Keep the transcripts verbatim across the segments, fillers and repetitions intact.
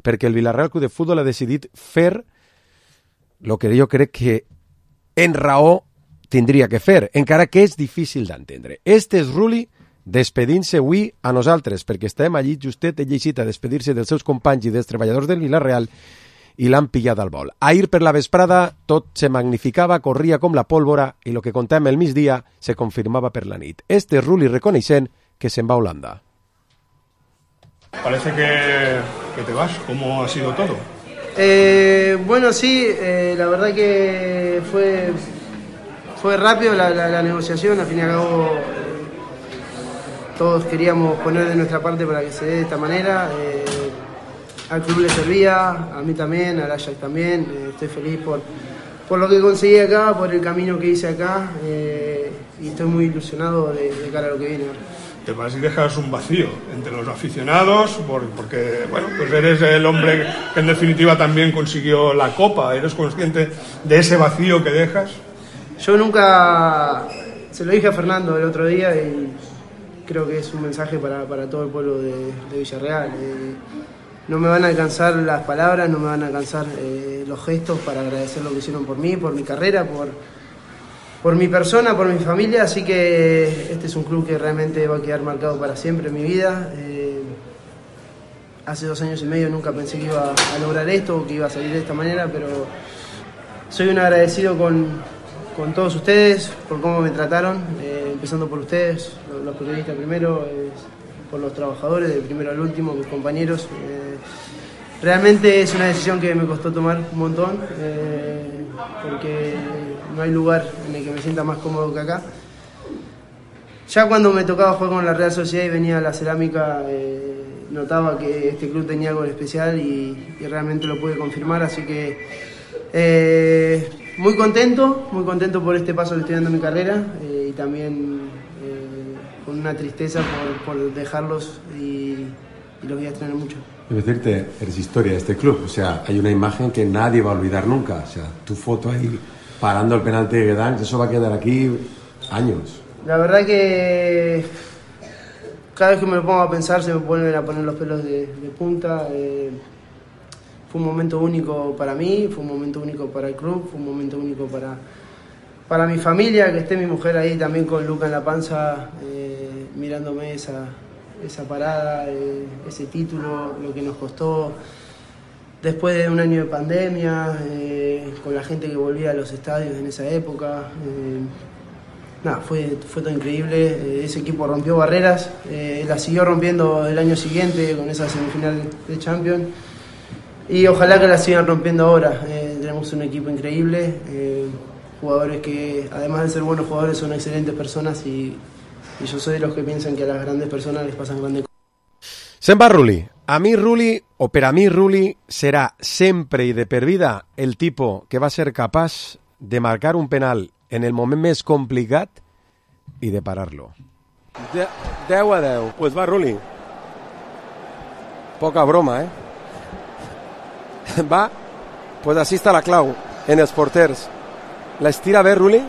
perquè el Villarreal Club de Futbol ha decidit fer el que jo crec que en raó tindria que fer, encara que és difícil d'entendre. Este és Rulli despedint-se avui a nosaltres, perquè estem allí justet, ell llegit a despedir-se dels seus companys i dels treballadors del Villarreal i l'han pillat al vol. Ahir per la vesprada tot se magnificava, corria com la pólvora i el que contem el migdia se confirmava per la nit. Este és Rulli reconeixent que se'n va a Holanda. Parece que, que te vas. ¿Cómo ha sido todo? Eh, bueno, sí, eh, la verdad que fue, fue rápido la, la, la negociación. Al fin y al cabo, eh, todos queríamos poner de nuestra parte para que se dé de esta manera. Eh, al club le servía, a mí también, al Ajax también. Eh, estoy feliz por, por lo que conseguí acá, por el camino que hice acá. Eh, y estoy muy ilusionado de, de cara a lo que viene ahora. Te vas y dejas un vacío entre los aficionados, por, porque bueno, pues eres el hombre que en definitiva también consiguió la Copa. ¿Eres consciente de ese vacío que dejas? Yo nunca, se lo dije a Fernando el otro día y creo que es un mensaje para, para todo el pueblo de, de Villarreal. Eh, no me van a alcanzar las palabras, no me van a alcanzar eh, los gestos para agradecer lo que hicieron por mí, por mi carrera, por... por mi persona, por mi familia, así que este es un club que realmente va a quedar marcado para siempre en mi vida. Eh, hace dos años y medio nunca pensé que iba a lograr esto, que iba a salir de esta manera, pero soy un agradecido con, con todos ustedes, por cómo me trataron, eh, empezando por ustedes, los, los periodistas primero, eh, por los trabajadores, de primero al último, mis compañeros. Eh, realmente es una decisión que me costó tomar un montón, eh, porque no hay lugar en el que me sienta más cómodo que acá. Ya cuando me tocaba jugar con la Real Sociedad y venía a la cerámica, eh, notaba que este club tenía algo especial y, y realmente lo pude confirmar, así que eh, muy contento, muy contento por este paso que estoy dando en mi carrera eh, y también eh, con una tristeza por, por dejarlos y, y los voy a extrañar mucho. Debo decirte, eres historia de este club, o sea, hay una imagen que nadie va a olvidar nunca, o sea, tu foto ahí parando el penalti de Guedanx, eso va a quedar aquí años. La verdad que cada vez que me lo pongo a pensar se me vuelven a poner los pelos de, de punta. Eh, fue un momento único para mí, fue un momento único para el club, fue un momento único para, para mi familia, que esté mi mujer ahí también con Luca en la panza, eh, mirándome esa, esa parada, eh, ese título, lo que nos costó. Después de un año de pandemia, eh, con la gente que volvía a los estadios en esa época, eh, nada, fue, fue todo increíble. Eh, ese equipo rompió barreras, eh, la siguió rompiendo el año siguiente con esa semifinal de Champions y ojalá que la sigan rompiendo ahora. Eh, tenemos un equipo increíble, eh, jugadores que además de ser buenos jugadores son excelentes personas y, y yo soy de los que piensan que a las grandes personas les pasan grandes cosas. Se'n va Rulli. A mi Rulli, o per a mi Rulli, serà sempre i de per vida el tipus que va ser capaç de marcar un penal en el moment més complicat i de parar-lo. De, deu a deu. Pues va Rulli. Poca broma, eh? Va, pues així està la clau en els porters. La estira bé, Rulli?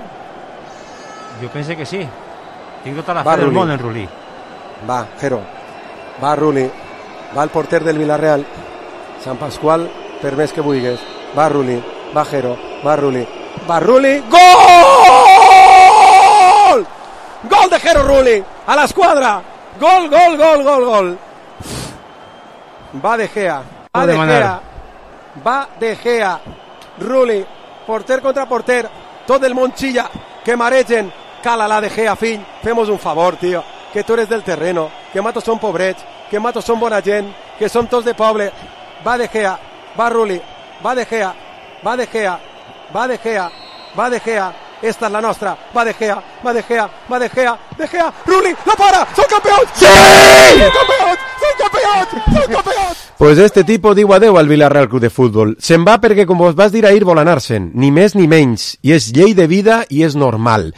Jo penso que sí. Tinc tota la fe del món en Rulli. Va, Jero. Va Rulli, va el porter del Villarreal, Sant Pasqual, per més que vulguis. Va Rulli, va Jero, va Rulli, va Rulli, gol! Gol de Jero Rulli, a l'esquadra! Gol, gol, gol, gol, gol! Va De Gea, va De Gea, va De Gea, Rulli, porter contra porter, tot el món xilla, que maregen, cala la De Gea, fill, fem-nos un favor, tio, que tu eres del terreno, que matos són pobrets, que matos són bona gent, que som tots de poble. Va De Gea, va Rulli, va De Gea, va De Gea, va De Gea, va De Gea, esta és la nostra, va De Gea, va De Gea, va De Gea, De Gea, Rulli, la para, són campions! Sí! Són campions! Són campions! Són campions! Pues este tipo diu adeu al Villarreal Club de Futbol. Se'n va perquè, com vos vas dir ahir, vol anar-se'n, ni més ni menys, i és llei de vida i és normal.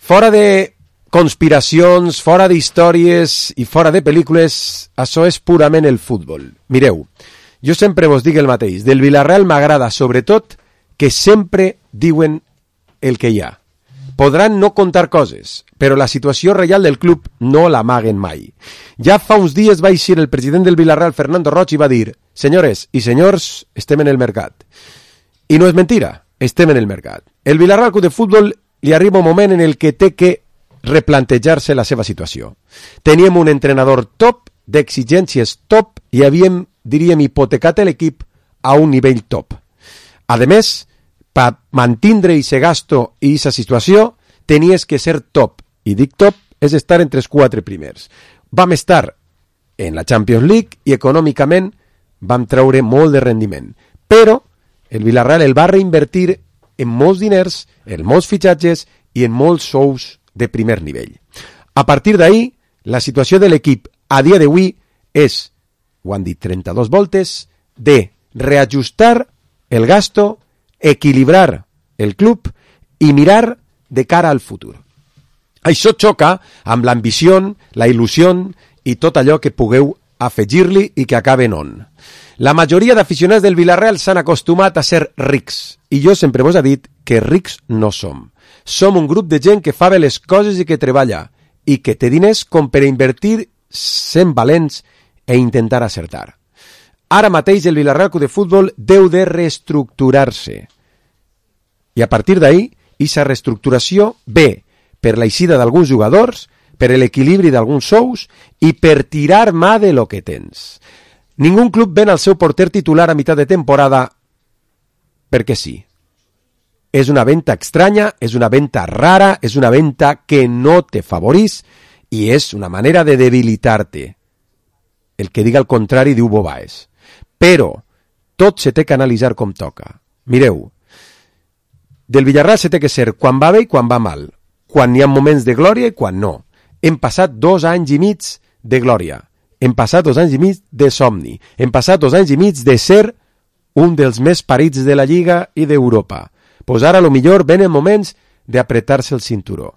Fora de conspiracions, fora d'històries i fora de pel·lícules, això és purament el futbol. Mireu, jo sempre vos dic el mateix, del Villarreal m'agrada sobretot que sempre diuen el que hi ha. Podran no contar coses, però la situació real del club no l'amaguen mai. Ja fa uns dies va eixir el president del Villarreal, Fernando Roig, i va dir: Senyores i senyors, estem en el mercat. I no és mentira, estem en el mercat. El Villarreal Club de Futbol li arriba un moment en el que té que replantejar-se la seva situació. Teníem un entrenador top, d'exigències top, i havíem, diríem, hipotecat l'equip a un nivell top. A més, per mantindre aquest gasto i aquesta situació, tenies que ser top. I dic top, és estar entre els quatre primers. Vam estar en la Champions League i econòmicament vam treure molt de rendiment. Però el Villarreal el va reinvertir en molts diners, en molts fitxatges i en molts sous de primer nivell. A partir d'ahir, la situació de l'equip a dia d'avui és, ho han dit trenta-dues voltes, de reajustar el gasto, equilibrar el club i mirar de cara al futur. Això xoca amb l'ambició, la il·lusió i tot allò que pugueu afegir-li i que acabe en on. La majoria d'aficionats del Villarreal s'han acostumat a ser rics i jo sempre vos he dit que rics no som. Som un grup de gent que fa bé les coses i que treballa i que té diners com per a invertir sent valents e intentar acertar. Ara mateix el Villarreal Club de Futbol deu de reestructurar-se. I a partir d'ahir, aquesta reestructuració ve per l'eixida d'alguns jugadors, per l'equilibri d'alguns sous i per tirar mà de lo que tens. Ningú club ven al seu porter titular a mitjà de temporada perquè sí. És una venta estranya, és una venta rara, és una venta que no te favorís i és una manera de debilitar-te. El que diga el contrari diu bobaes. Però tot se té que analitzar com toca. Mireu, del Villarreal se té que ser quan va bé i quan va mal, quan hi ha moments de glòria i quan no. Hem passat dos anys i mig de glòria, hem passat dos anys i mig de somni, hem passat dos anys i mig de ser un dels més parits de la Lliga i d'Europa. Pues ara a lo millor venen moments d'apretar-se el cinturó.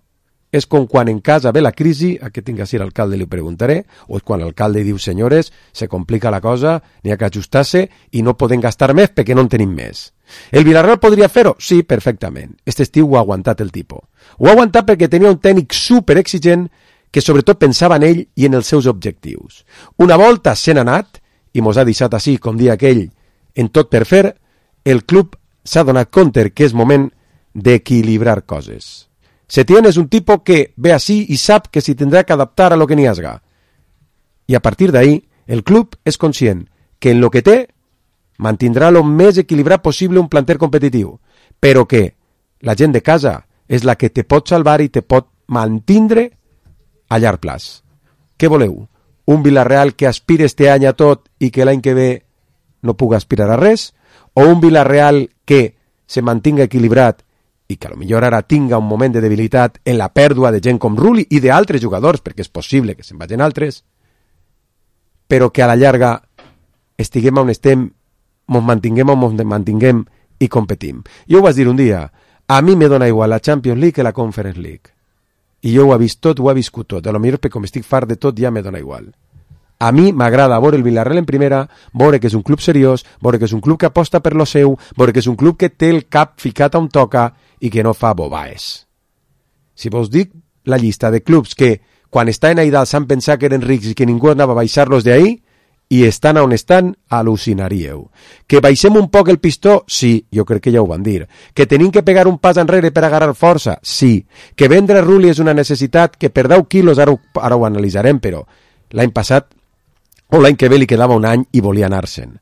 És com quan en casa ve la crisi, a què tinc a ser alcalde li preguntaré, o és quan l'alcalde diu, senyores, se complica la cosa, n'hi ha que ajustar-se i no podem gastar més perquè no en tenim més. El Villarreal podria fer-ho? Sí, perfectament. Este estiu ho ha aguantat el tipus. Ho ha aguantat perquè tenia un tècnic super exigent que sobretot pensava en ell i en els seus objectius. Una volta se n'ha anat, i mos ha deixat així, com dia aquell, en tot per fer, el club s'ha donat compte que és moment d'equilibrar coses. Setién és un tipus que ve així i sap que s'hi tindrà que adaptar a lo que n'hi hasga. I a partir d'ahí, el club és conscient que en lo que té mantindrà lo més equilibrat possible un planter competitiu, però que la gent de casa és la que te pot salvar i te pot mantindre a llarg plaç. Què voleu? Un Villarreal que aspire este any a tot i que l'any que ve no puga aspirar a res? O un Villarreal que se mantinga equilibrat i que a lo millor ara tinga un moment de debilitat en la pèrdua de gent com Rulli i d'altres jugadors, perquè és possible que se'n vagin altres, però que a la llarga estiguem on estem, ens mantinguem on ens mantinguem i competim. Jo ho vaig dir un dia, a mi me dona igual la Champions League que la Conference League. I jo ho he vist tot, ho he viscut tot. A lo millor perquè com estic fart de tot ja me dona igual. A mi m'agrada veure el Villarreal en primera, veure que és un club seriós, veure que és un club que aposta per lo seu, veure que és un club que té el cap ficat on toca i que no fa bobaes. Si vos dic la llista de clubs que quan estaven ahí dalt s'han pensat que eren rics i que ningú anava a baixar-los d'ahí i estan on estan, al·lucinaríeu. Que baixem un poc el pistó? Sí, jo crec que ja ho van dir. Que tenim que pegar un pas enrere per agarrar força? Sí. Que vendre Rulli és una necessitat? Que per deu quilos, ara ho, ara ho analitzarem, però l'any passat o l'any que ve li quedava un any i volia anar-se'n.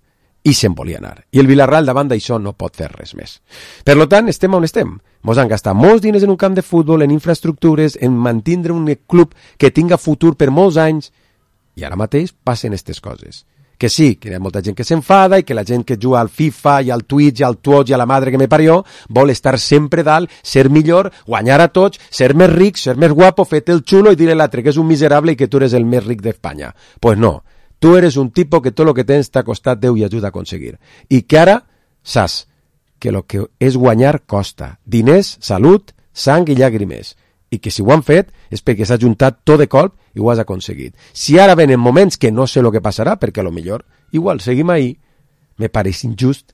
I se'n volia anar. I el Villarreal davant d'això no pot fer res més. Per tant, estem on estem. Mos han gastat molts diners en un camp de futbol, en infraestructures, en mantindre un club que tinga futur per molts anys, i ara mateix passen aquestes coses. Que sí, que hi ha molta gent que s'enfada i que la gent que juga al FIFA i al Twitch i al Twitch i a la madre que me parió vol estar sempre dalt, ser millor, guanyar a tots, ser més ric, ser més guapo, fer-te el xulo i dir a l'altre que és un miserable i que tu eres el més ric d'Espanya. Pues no. Tu eres un tipo que tot el que tens t'ha costat Déu i ajuda a aconseguir. I que ara saps que el que és guanyar costa. Diners, salut, sang i llàgrimes. I que si ho han fet és perquè s'ha juntat tot de colp i ho has aconseguit. Si ara venen moments que no sé el que passarà, perquè a lo millor, igual, seguim ahí, me pareix injust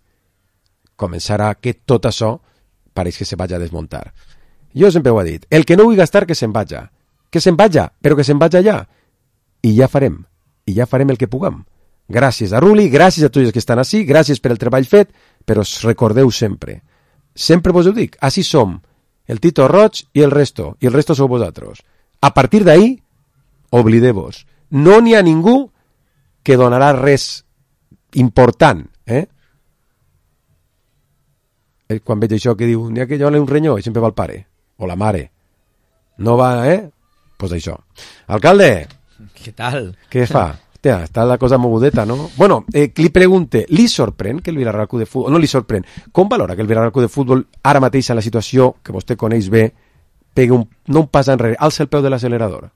començar a que tot això pareix que se vagi a desmuntar. Jo sempre ho he dit, el que no vull gastar que se'n vaja. Que se'n vaja, però que se'n vaja ja. I ja farem. I ja farem el que puguem. Gràcies a Rulli, gràcies a tots els que estan ací, gràcies per el treball fet, però recordeu sempre, sempre vos ho dic, així som, el Tito Roig i el resto, i el resto sou vosaltres. A partir d'ahí, oblideu-vos. No n'hi ha ningú que donarà res important, eh? Quan veig això que diu, n'hi ha que dona un renyó i sempre va el pare, o la mare. No va, eh? Pues això. Alcalde! Què tal? Què fa? Hòstia, està la cosa mogudeta, no? Bueno, eh, li pregunte, li sorprèn que el Villarreal Club de Futbol... No li sorprèn. Com valora que el Villarreal Club de Futbol, ara mateix en la situació que vostè coneix bé, pegui un, no un pas enrere, alça el peu de l'accelerador?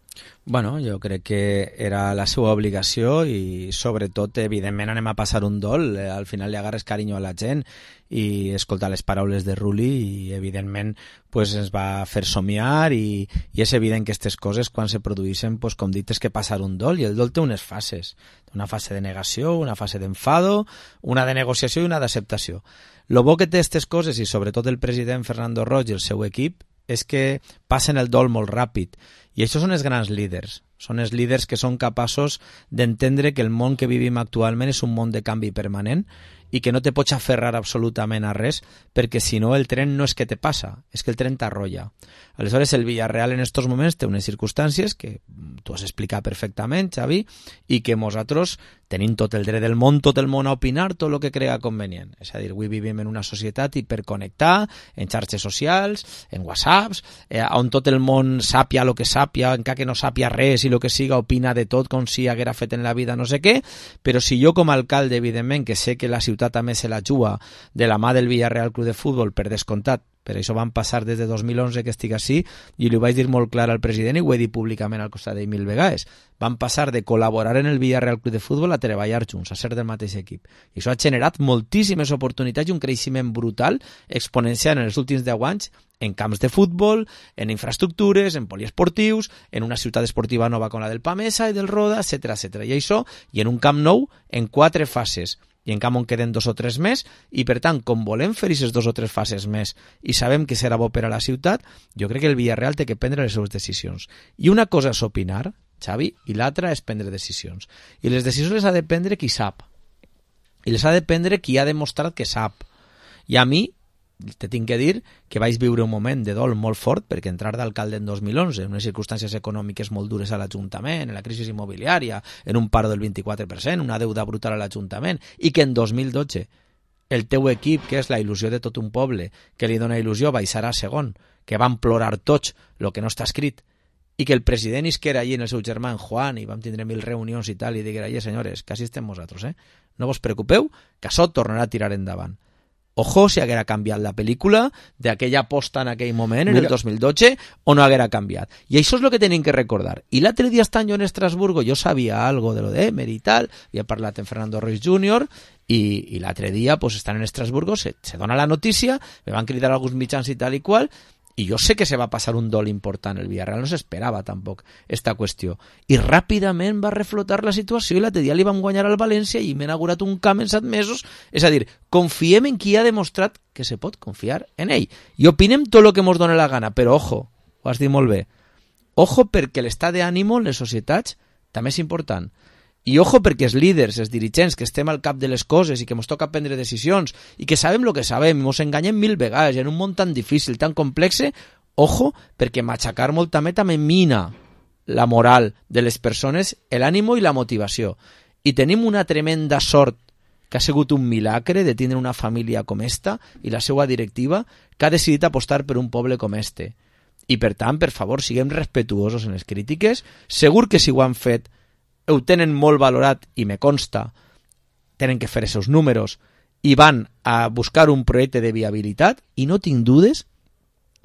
Bueno, jo crec que era la seva obligació i sobretot, evidentment, anem a passar un dol. Al final li agarres carinyo a la gent i escoltar les paraules de Rulli i, evidentment, pues, ens va fer somiar i, i és evident que aquestes coses, quan se produeixen, pues, com dit, és que passar un dol, i el dol té unes fases. Una fase de negació, una fase d'enfado, una de negociació i una d'acceptació. Lo bo que té aquestes coses, i sobretot el president Fernando Roig i el seu equip, és que passen el dol molt ràpid. I això són els grans líders. Són els líders que són capaços d'entendre que el món que vivim actualment és un món de canvi permanent i que no te pots aferrar absolutament a res, perquè si no el tren no és que te passa, és que el tren t'arrolla. Aleshores el Villarreal en estos moments té unes circumstàncies que tu has explicat perfectament, Xavi, i que nosaltres tenim tot el dret del món, tot el món a opinar, tot el que crea convenient. És a dir, avui vivim en una societat hiperconnectada, en xarxes socials, en whatsapps, eh, on tot el món sàpia el que sàpia, encara que no sàpia res i el que siga opina de tot com si haguera fet en la vida no sé què, però si jo com a alcalde, evidentment, que sé que la ciutat també se la juga de la mà del Villarreal Club de Futbol, per descomptat, per això van passar des de dos mil onze que estic així, i li ho vaig dir molt clar al president i ho he dit públicament al costat d'ell mil vegades. Van passar de col·laborar en el Villarreal Club de Futbol a treballar junts, a ser del mateix equip. I això ha generat moltíssimes oportunitats i un creixement brutal, exponencial en els últims deu anys, en camps de futbol, en infraestructures, en poliesportius, en una ciutat esportiva nova com la del Pamesa i del Roda, etcètera, etcètera. I això, i en un camp nou, en quatre fases. I en camp on queden dos o tres més, i per tant, com volem fer aquestes dos o tres fases més i sabem que serà bo per a la ciutat, jo crec que el Villarreal té que prendre les seves decisions. I una cosa és opinar, Xavi, i l'altra és prendre decisions. I les decisions les ha de prendre qui sap. I les ha de prendre qui ha demostrat que sap. I a mi, te tinc que dir que vaig viure un moment de dol molt fort perquè entrar d'alcalde en dos mil onze, en unes circumstàncies econòmiques molt dures a l'Ajuntament, en la crisi immobiliària, en un paro del vint-i-quatre per cent, una deuda brutal a l'Ajuntament, i que en dos mil dotze el teu equip, que és la il·lusió de tot un poble, que li dona il·lusió, baixarà a segon, que van plorar tots el que no està escrit, i que el president isquera allí en el seu germà en Juan, i vam tindre mil reunions i tal, i diguera, allà senyores, que així estem vosaltres, eh? No vos preocupeu, que això tornarà a tirar endavant. Ojo si haguera canviat la pel·lícula d'aquella aposta en aquell moment, en el dos mil dotze, o no haguera canviat. I això és el que tenim que recordar. I l'altre dia estant jo en Estrasburgo, jo sabia algo de lo de Emery i tal, havia parlat amb Fernando Roig júnior, i, i l'altre dia, pues, estant en Estrasburgo, se, se dona la notícia, me van cridar alguns mitjans i tal i qual, i jo sé que se va passar un dol important. El Villarreal no s'esperava tampoc esta qüestió. I ràpidament va reflotar la situació i l'altre dia li vam guanyar al València i m'he inaugurat un camp en set mesos. És a dir, confiem en qui ha demostrat que se pot confiar en ell. I opinem tot el que ens dona la gana, però ojo, ho has dit molt bé, ojo perquè l'estat d'ànimo en les societats també és important. I ojo perquè els líders, els dirigents, que estem al cap de les coses i que ens toca prendre decisions i que sabem el que sabem i ens enganyem mil vegades en un món tan difícil, tan complex, ojo perquè machacar molt també també mina la moral de les persones, l'ànimo i la motivació. I tenim una tremenda sort que ha sigut un milagre de tindre una família com esta i la seva directiva que ha decidit apostar per un poble com este. I per tant, per favor, siguem respetuosos en les crítiques. Segur que si ho han fet ho tenen molt valorat i me consta, tenen que fer els seus números i van a buscar un projecte de viabilitat i no tinc dudes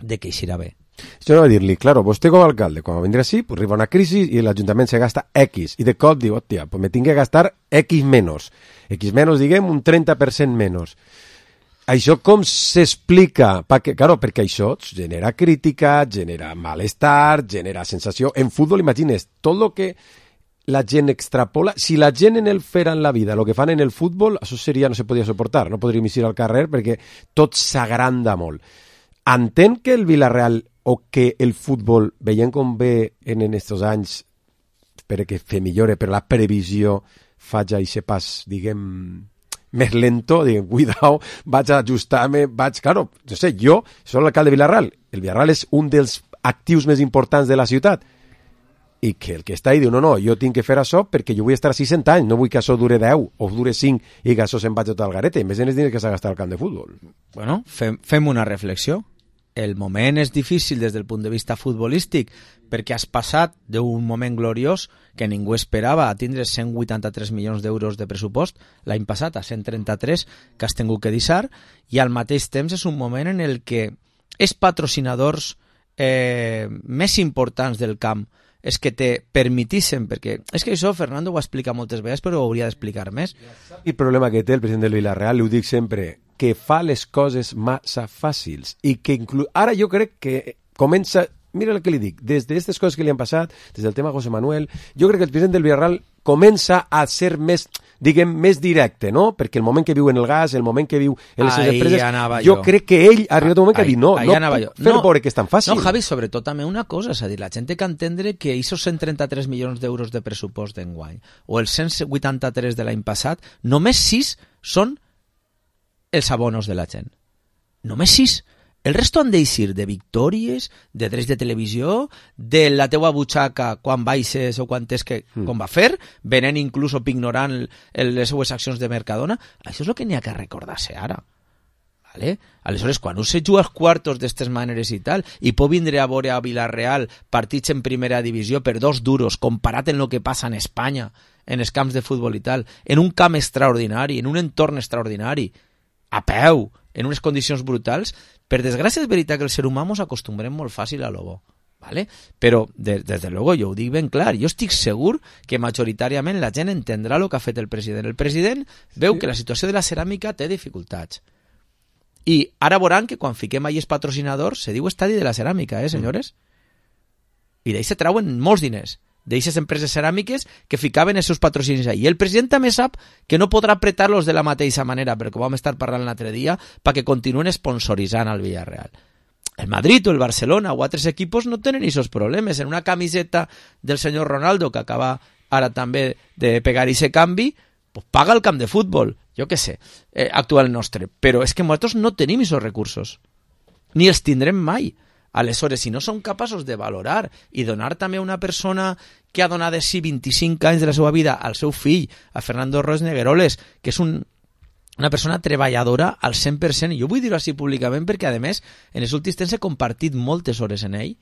de que eixirà bé. Això no va dir-li, claro, vostè com a alcalde, quan va vindre així, pues arriba una crisi i l'Ajuntament se gasta X, i de cop diu, hòstia, pues me tinc que gastar X menos. X menos, diguem, un trenta per cent menys. Això com s'explica? Perquè, claro, perquè això genera crítica, genera malestar, genera sensació. En futbol, imagines, tot el que la gent extrapola, si la gent en el fer en la vida el que fan en el futbol, això seria, no se podia suportar, no podríem eixir al carrer perquè tot s'agranda molt. Entén que el Villarreal o que el futbol, veient com ve en aquests anys, espero que fe millore, però la previsió faig aquest pas, diguem, més lento, diguem, cuidao, vaig a ajustar-me, vaig, claro, no sé, jo soc l'alcalde de Vilarreal, el Vilarreal és un dels actius més importants de la ciutat, i que el que està ahí diu, no, no, jo tinc que fer això perquè jo vull estar així cent anys, no vull que això dure deu o dure cinc i que això se'n vagi tot al garete, més en els diners que s'ha gastat al camp de futbol. Bueno, fem, fem una reflexió. El moment és difícil des del punt de vista futbolístic perquè has passat d'un moment gloriós que ningú esperava a tindre cent vuitanta-tres milions d'euros de pressupost l'any passat a cent trenta-tres que has tingut que deixar, i al mateix temps és un moment en el que els patrocinadors eh, més importants del camp és que te permitissin, perquè és que això Fernando ho explica moltes vegades però ho hauria d'explicar més. El problema que té el president del Vilarreal, ho dic sempre, que fa les coses massa fàcils i que inclu... ara jo crec que comença, mira el que li dic, des d'aquestes coses que li han passat, des del tema José Manuel, jo crec que el president del Vilarreal comença a ser més, diguem, més directe, no? Perquè el moment que viu en el gas, el moment que viu en les Ahí empreses, jo. jo crec que ell ha arribat un moment que ha dit, no, no puc fer-ho veure que és tan fàcil. No, Javi, sobretot també una cosa, és a dir, la gent té que entendre que aquests cent trenta-tres milions d'euros de pressupost d'enguany o els cent vuitanta-tres de l'any passat, només sis són els abonos de la gent. Només sis. El resto han d'eixir de victòries, de drets de televisió, de la teua butxaca quan baixes o quan és que, mm. com va fer, venent inclús o ignorant el, les seues accions de Mercadona. Això és el que n'hi ha que recordar-se ara. Vale? Aleshores, quan us se juga als quartos d'estes maneres i tal, i pot vindre a veure a Vilarreal partits en primera divisió per dos duros, comparat en el que passa en Espanya, en els camps de futbol i tal, en un camp extraordinari, en un entorn extraordinari, a peu, en unes condicions brutals, per desgràcia és veritat que el ser humà ens acostumbrem molt fàcil a lo bo, ¿vale? Però des, des de luego jo ho dic ben clar, jo estic segur que majoritàriament la gent entendrà el que ha fet el president. El president veu sí. que la situació de la ceràmica té dificultats. I ara veuran que quan fiquem allà els patrocinadors se diu estadi de la ceràmica, eh, senyores? I d'ahí se trauen molts diners d'aquestes empreses ceràmiques que ficaven els seus patrocinis ahí. I el president també sap que no podrà apretar-los de la mateixa manera, perquè ho vam estar parlant l'altre dia, perquè continuen sponsoritzant al Villarreal. El Madrid o el Barcelona o altres equipos no tenen aquests problemes. En una camiseta del senyor Ronaldo, que acaba ara també de pegar aquest canvi, pues paga el camp de futbol, jo què sé, eh, actual nostre. Però és que nosaltres no tenim aquests recursos, ni els tindrem mai. Aleshores, si no som capaços de valorar i donar també a una persona que ha donat de si vint-i-cinc anys de la seva vida al seu fill, a Fernando Roig Negueroles, que és un, una persona treballadora al cent per cent, i jo vull dir-ho així públicament perquè, a més, en els últims temps he compartit moltes hores en ell.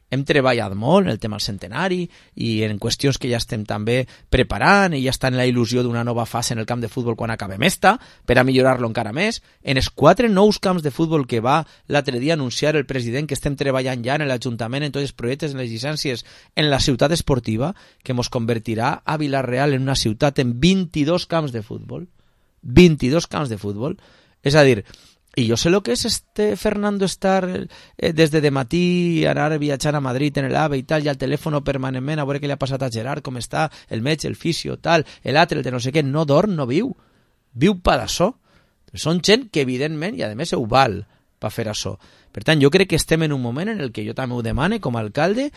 Hem treballat molt en el tema del centenari i en qüestions que ja estem també preparant i ja està en la il·lusió d'una nova fase en el camp de futbol quan acabem esta, per a millorar-lo encara més. En els quatre nous camps de futbol que va l'altre dia anunciar el president que estem treballant ja en l'Ajuntament, en tots els projectes, en les llicències, en la ciutat esportiva, que ens convertirà a Vilarreal en una ciutat en vint-i-dos camps de futbol. vint-i-dos camps de futbol. És a dir, i jo sé el que és este Fernando estar eh, des de dematí, anar viatjant a Madrid en l'AVE i tal, i al telèfon permanentment a veure què li ha passat a Gerard, com està, el metge, el fisio, tal, l'altre, el de no sé què, no dorm, no viu. Viu per això. Són gent que evidentment, i a més ho val per fer això. Per tant, jo crec que estem en un moment en el que jo també ho demane com a alcalde,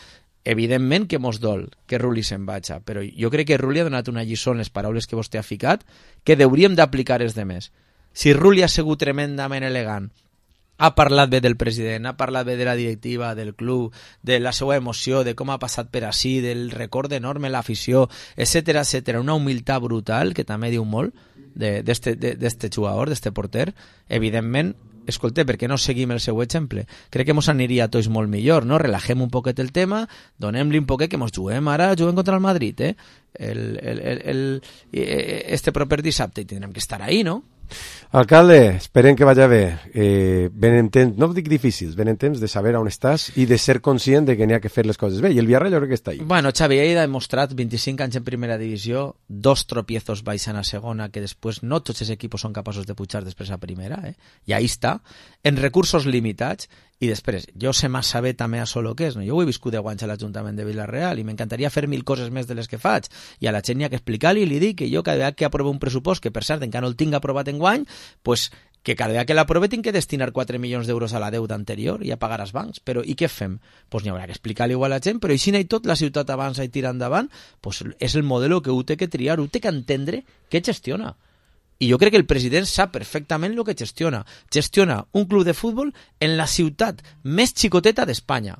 evidentment que mos dol que Rulli se'n vagi, però jo crec que Rulli ha donat una lliçó en les paraules que vostè ha ficat que hauríem d'aplicar els demés. Si Rulli ha sigut tremendament elegant, ha parlat bé del president, ha parlat bé de la directiva, del club, de la seva emoció, de com ha passat per ací, del record enorme l'afició, etcètera, etcètera, una humilitat brutal, que també diu molt d'este jugador, d'este porter. Evidentment, escolta, per què no seguim el seu exemple? Crec que mos aniria a tots molt millor, no? Relajem un poquet el tema, donem-li un poquet que mos juguem ara, juguem contra el Madrid, eh? El, el, el, el, este proper dissabte i tindrem que estar ahí, no? Alcalde, esperem que vagi bé. Eh, venen temps, no dic difícils, venen temps de saber on estàs i de ser conscient de que n'hi ha que fer les coses bé. I el Villarreal jo crec que està ahí. Bueno, Xavi, ell ha demostrat vint-i-cinc anys en primera divisió, dos tropiezos baixant a segona, que després no tots els equipos són capaços de pujar després a primera, eh? I ahí està, en recursos limitats. I després, jo sé massa bé també això el que és, no? Jo ho he viscut deu anys a l'Ajuntament de Vilarreal i m'encantaria fer mil coses més de les que faig, i a la gent n'hi ha que explicar-li i li dic que jo cada vegada que aprovo un pressupost, que per cert encara no el tinc aprovat enguany, pues que cada vegada que l'aprove tinc que destinar quatre milions d'euros a la deuta anterior i a pagar als bancs. Però i què fem? Pues n'hi haurà que explicar-li igual a la gent, però i si no hi tot, la ciutat avança i tira endavant, pues és el model que ho té que triar, ho té que entendre què gestiona. I jo crec que el president sap perfectament el que gestiona. Gestiona un club de futbol en la ciutat més xicoteta d'Espanya.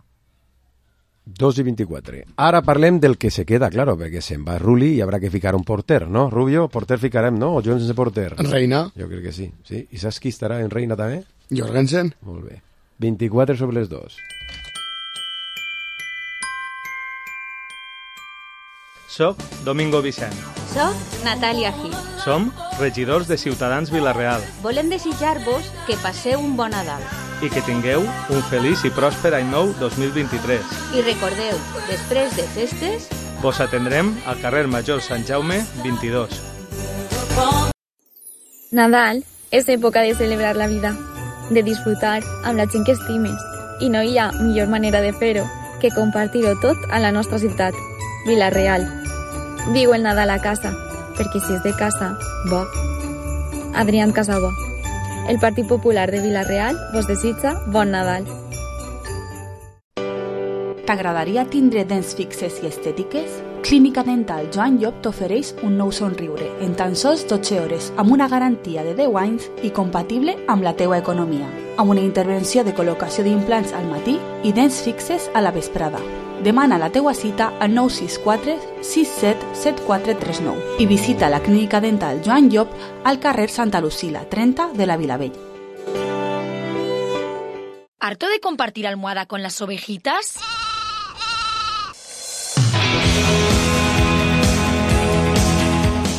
dos i vint-i-quatre. Ara parlem del que se queda, claro, perquè se'n va Rulli i haurà que ficar un porter, no? Rubio, porter ficarem, no? O Jones de porter? Reina. Jo crec que sí, sí. I saps qui estarà en Reina també? Jorgensen. Molt bé. vint-i-quatre sobre les dos. Soc Domingo Vicent. Soc Natàlia Gil. Som regidors de Ciutadans Vila-real. Volem desitjar-vos que passeu un bon Nadal. I que tingueu un feliç i pròsper any nou dos mil vint-i-tres. I recordeu, després de festes, vos atendrem al carrer Major Sant Jaume vint-i-dos. Nadal és època de celebrar la vida, de disfrutar amb la gent que estimes. I no hi ha millor manera de fer-ho que compartir-ho tot a la nostra ciutat, Vila-real. Viu el Nadal a casa, perquè si és de casa, bo. Adrián Casabó. El Partit Popular de Vila-real vos desitja bon Nadal. T'agradaria tindre dents fixes i estètiques? Clínica Dental Joan Llop t'ofereix un nou somriure en tan sols dotze hores amb una garantia de deu anys i compatible amb la teua economia, amb una intervenció de col·locació d'implants al matí i dents fixes a la vesprada. Demana la teua cita al nou sis quatre sis set set quatre tres nou i visita la Clínica Dental Joan Llop al carrer Santa Lucila, trenta de la Vilavell. ¿Harto de compartir almohada con las ovejitas?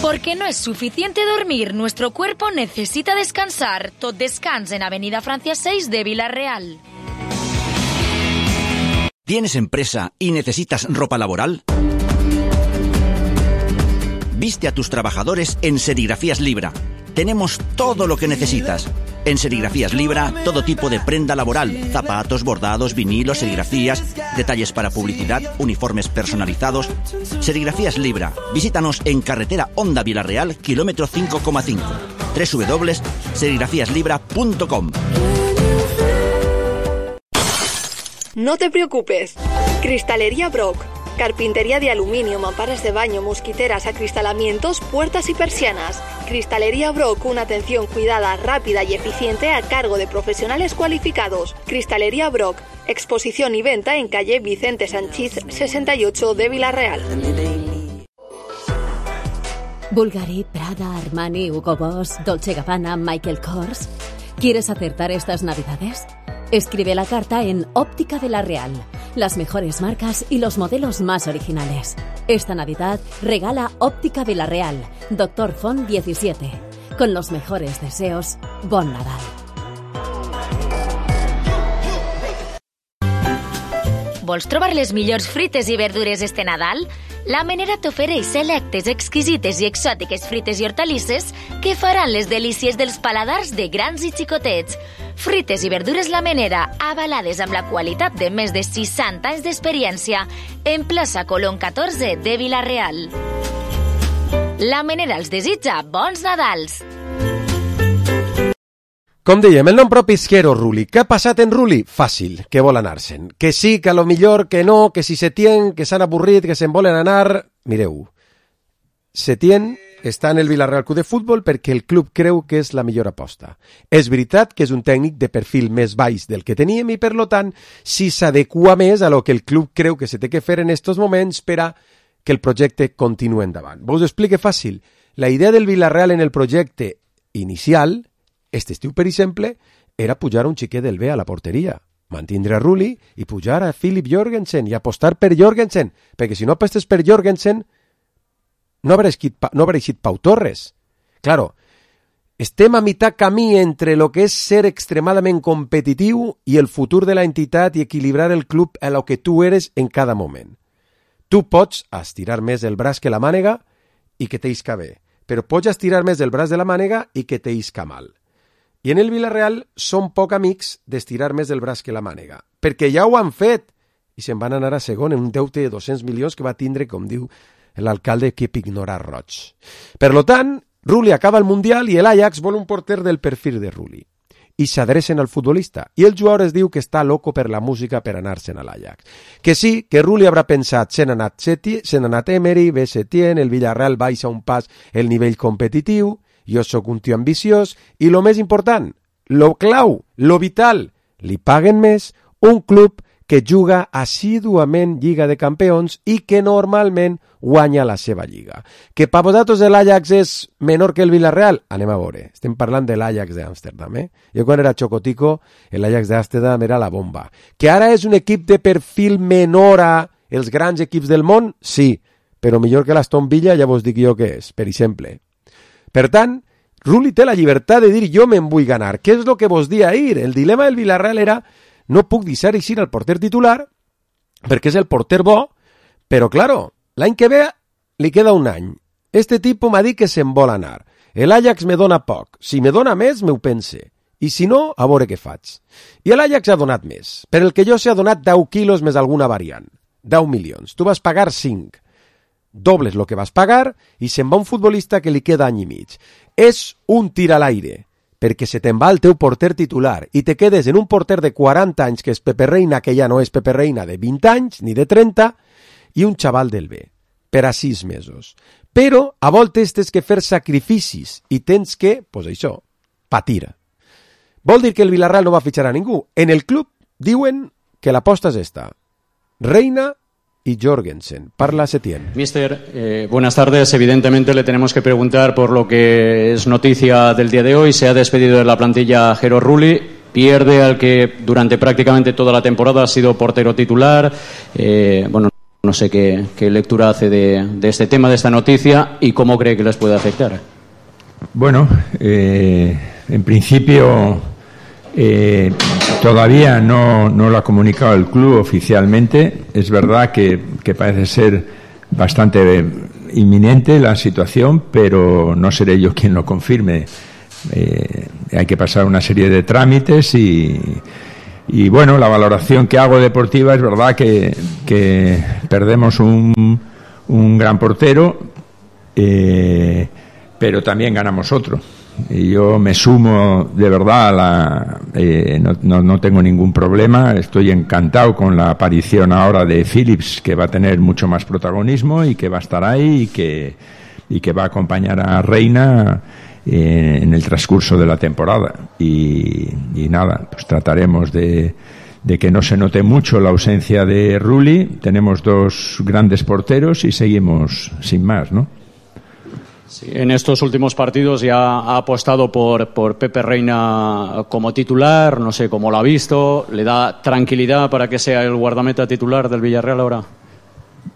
Porque no es suficiente dormir, nuestro cuerpo necesita descansar. Tot descans en Avenida Francia seis de Vila-real. ¿Tienes empresa y necesitas ropa laboral? Viste a tus trabajadores en Serigrafías Libra. Tenemos todo lo que necesitas. En Serigrafías Libra, todo tipo de prenda laboral, zapatos, bordados, vinilos, serigrafías, detalles para publicidad, uniformes personalizados. Serigrafías Libra. Visítanos en carretera Honda Vila-real, kilómetro cinco coma cinco. doble u doble u doble u punto serigrafías libra punto com. No te preocupes. Cristalería Brock. Carpintería de aluminio, mamparas de baño, mosquiteras, acristalamientos, puertas y persianas. Cristalería Brock, una atención cuidada, rápida y eficiente a cargo de profesionales cualificados. Cristalería Brock, exposición y venta en calle Vicente Sanchís sesenta y ocho de Vila-real. Bulgari, Prada, Armani, Hugo Boss, Dolce Gabbana, Michael Kors. ¿Quieres acertar estas navidades? Escribe la carta en Óptica Vila-real. Las mejores marcas y los modelos más originales. Esta Navidad regala Óptica Vila-real, Doctor Font diecisiete. Con los mejores deseos, bon Nadal. Vols trobar les millors frites i verdures este Nadal? La Menera t'ofereix selectes, exquisites i exòtiques frites i hortalisses que faran les delícies dels paladars de grans i xicotets. Frites i verdures La Menera, avalades amb la qualitat de més de seixanta anys d'experiència, en plaça Colón catorze de Vila-real. La Menera els desitja bons Nadals! Com dèiem, el nom propi és Jero Rulli. Què ha passat en Rulli? Fàcil, que vol anar-se'n. Que sí, que a lo millor, que no, que si Setién, que s'han avorrit, que se'n volen anar... Mireu, Setién està en el Vila-real Club de Futbol perquè el club creu que és la millor aposta. És veritat que és un tècnic de perfil més baix del que teníem i, per lo tant, si s'adequa més a lo que el club creu que se té que fer en estos moments per a que el projecte continuï endavant. Vos ho explique fàcil. La idea del Vila-real en el projecte inicial... Este estiu, per exemple, era pujar un xiquet del B a la porteria, mantindre a Rulli i pujar a Philip Jorgensen i apostar per Jorgensen, perquè si no apostes per Jorgensen no haurà no eixit Pau Torres. Claro, estem a mitjà camí entre lo que és ser extremadament competitiu i el futur de la entitat i equilibrar el club a lo que tu eres en cada moment. Tu pots estirar més el braç que la mànega i que t'isca bé, però pots estirar més el braç de la mànega i que t'isca mal. I en el Vila-real són poc amics d'estirar més el braç que la mànega, perquè ja ho han fet i se'n van anar a segon en un deute de dos-cents milions que va tindre, com diu l'alcalde, que ignorar roig. Per lo tant, Rulli acaba el Mundial i l'Ajax vol un porter del perfil de Rulli. I s'adrecen al futbolista. I el jugador es diu que està loco per la música per anar-se'n a l'Ajax. Que sí, que Rulli haurà pensat, se n'ha anat, se n'ha anat Emery, ve Setién, el Villarreal baixa un pas el nivell competitiu, jo sóc un tio ambiciós, i lo més important, lo clau, lo vital, li paguen més un club que juga assíduament Lliga de Campions i que normalment guanya la seva lliga. Que per vosaltres l'Ajax és menor que el Villarreal? Anem a veure. Estem parlant de l'Ajax d'Amsterdam, eh? Jo quan era xocotico, l'Ajax d'Amsterdam era la bomba. Que ara és un equip de perfil menor a els grans equips del món? Sí, però millor que l'Aston Villa ja vos dic jo què és, per exemple. Per tant, Rulli té la llibertat de dir jo me'n vull ganar. Què és el que vos dia ahir? El dilema del Villarreal era no puc deixar eixir el porter titular perquè és el porter bo, però, claro, l'any que ve li queda un any. Este tipus m'ha dit que se'n vol anar. L'Ajax me dona poc. Si me dona més, m'ho pense. I si no, a veure què faig. I l'Ajax ha donat més. Per el que jo sé, ha donat deu quilos més alguna variant. deu milions. Tu vas pagar cinc. Dobles el que vas pagar i se'n va un futbolista que li queda any i mig. És un tir a l'aire, perquè se te'n va el teu porter titular i te quedes en un porter de quaranta anys que és Pepe Reina, que ja no és Pepe Reina de vint anys ni de trenta, i un xaval del B, per a sis mesos. Però a voltes tens que fer sacrificis i tens que, pues això, patir. Vol dir que el Villarreal no va fitxar a ningú. En el club diuen que l'aposta és esta. Reina y Jorgensen. Parla Setién. Mister, eh, buenas tardes. Evidentemente le tenemos que preguntar por lo que es noticia del día de hoy. Se ha despedido de la plantilla Jero Rulli. Pierde al que durante prácticamente toda la temporada ha sido portero titular. Eh, bueno, no sé qué, qué lectura hace de, de este tema, de esta noticia, y cómo cree que les puede afectar. Bueno, eh, en principio eh, todavía no, no lo ha comunicado el club oficialmente. Es verdad que, que parece ser bastante inminente la situación, pero no seré yo quien lo confirme. Eh, hay que pasar una serie de trámites y, y bueno, la valoración que hago deportiva es verdad que, que perdemos un, un gran portero, eh, pero también ganamos otro. Y yo me sumo de verdad a la, eh, no, no, no tengo ningún problema, estoy encantado con la aparición ahora de Phillips, que va a tener mucho más protagonismo y que va a estar ahí y que, y que va a acompañar a Reina eh, en el transcurso de la temporada. Y, y nada, pues trataremos de, de que no se note mucho la ausencia de Rulli. Tenemos dos grandes porteros y seguimos sin más, ¿no? Sí, en estos últimos partidos ya ha apostado por, por Pepe Reina como titular, no sé cómo lo ha visto, ¿le da tranquilidad para que sea el guardameta titular del Villarreal ahora?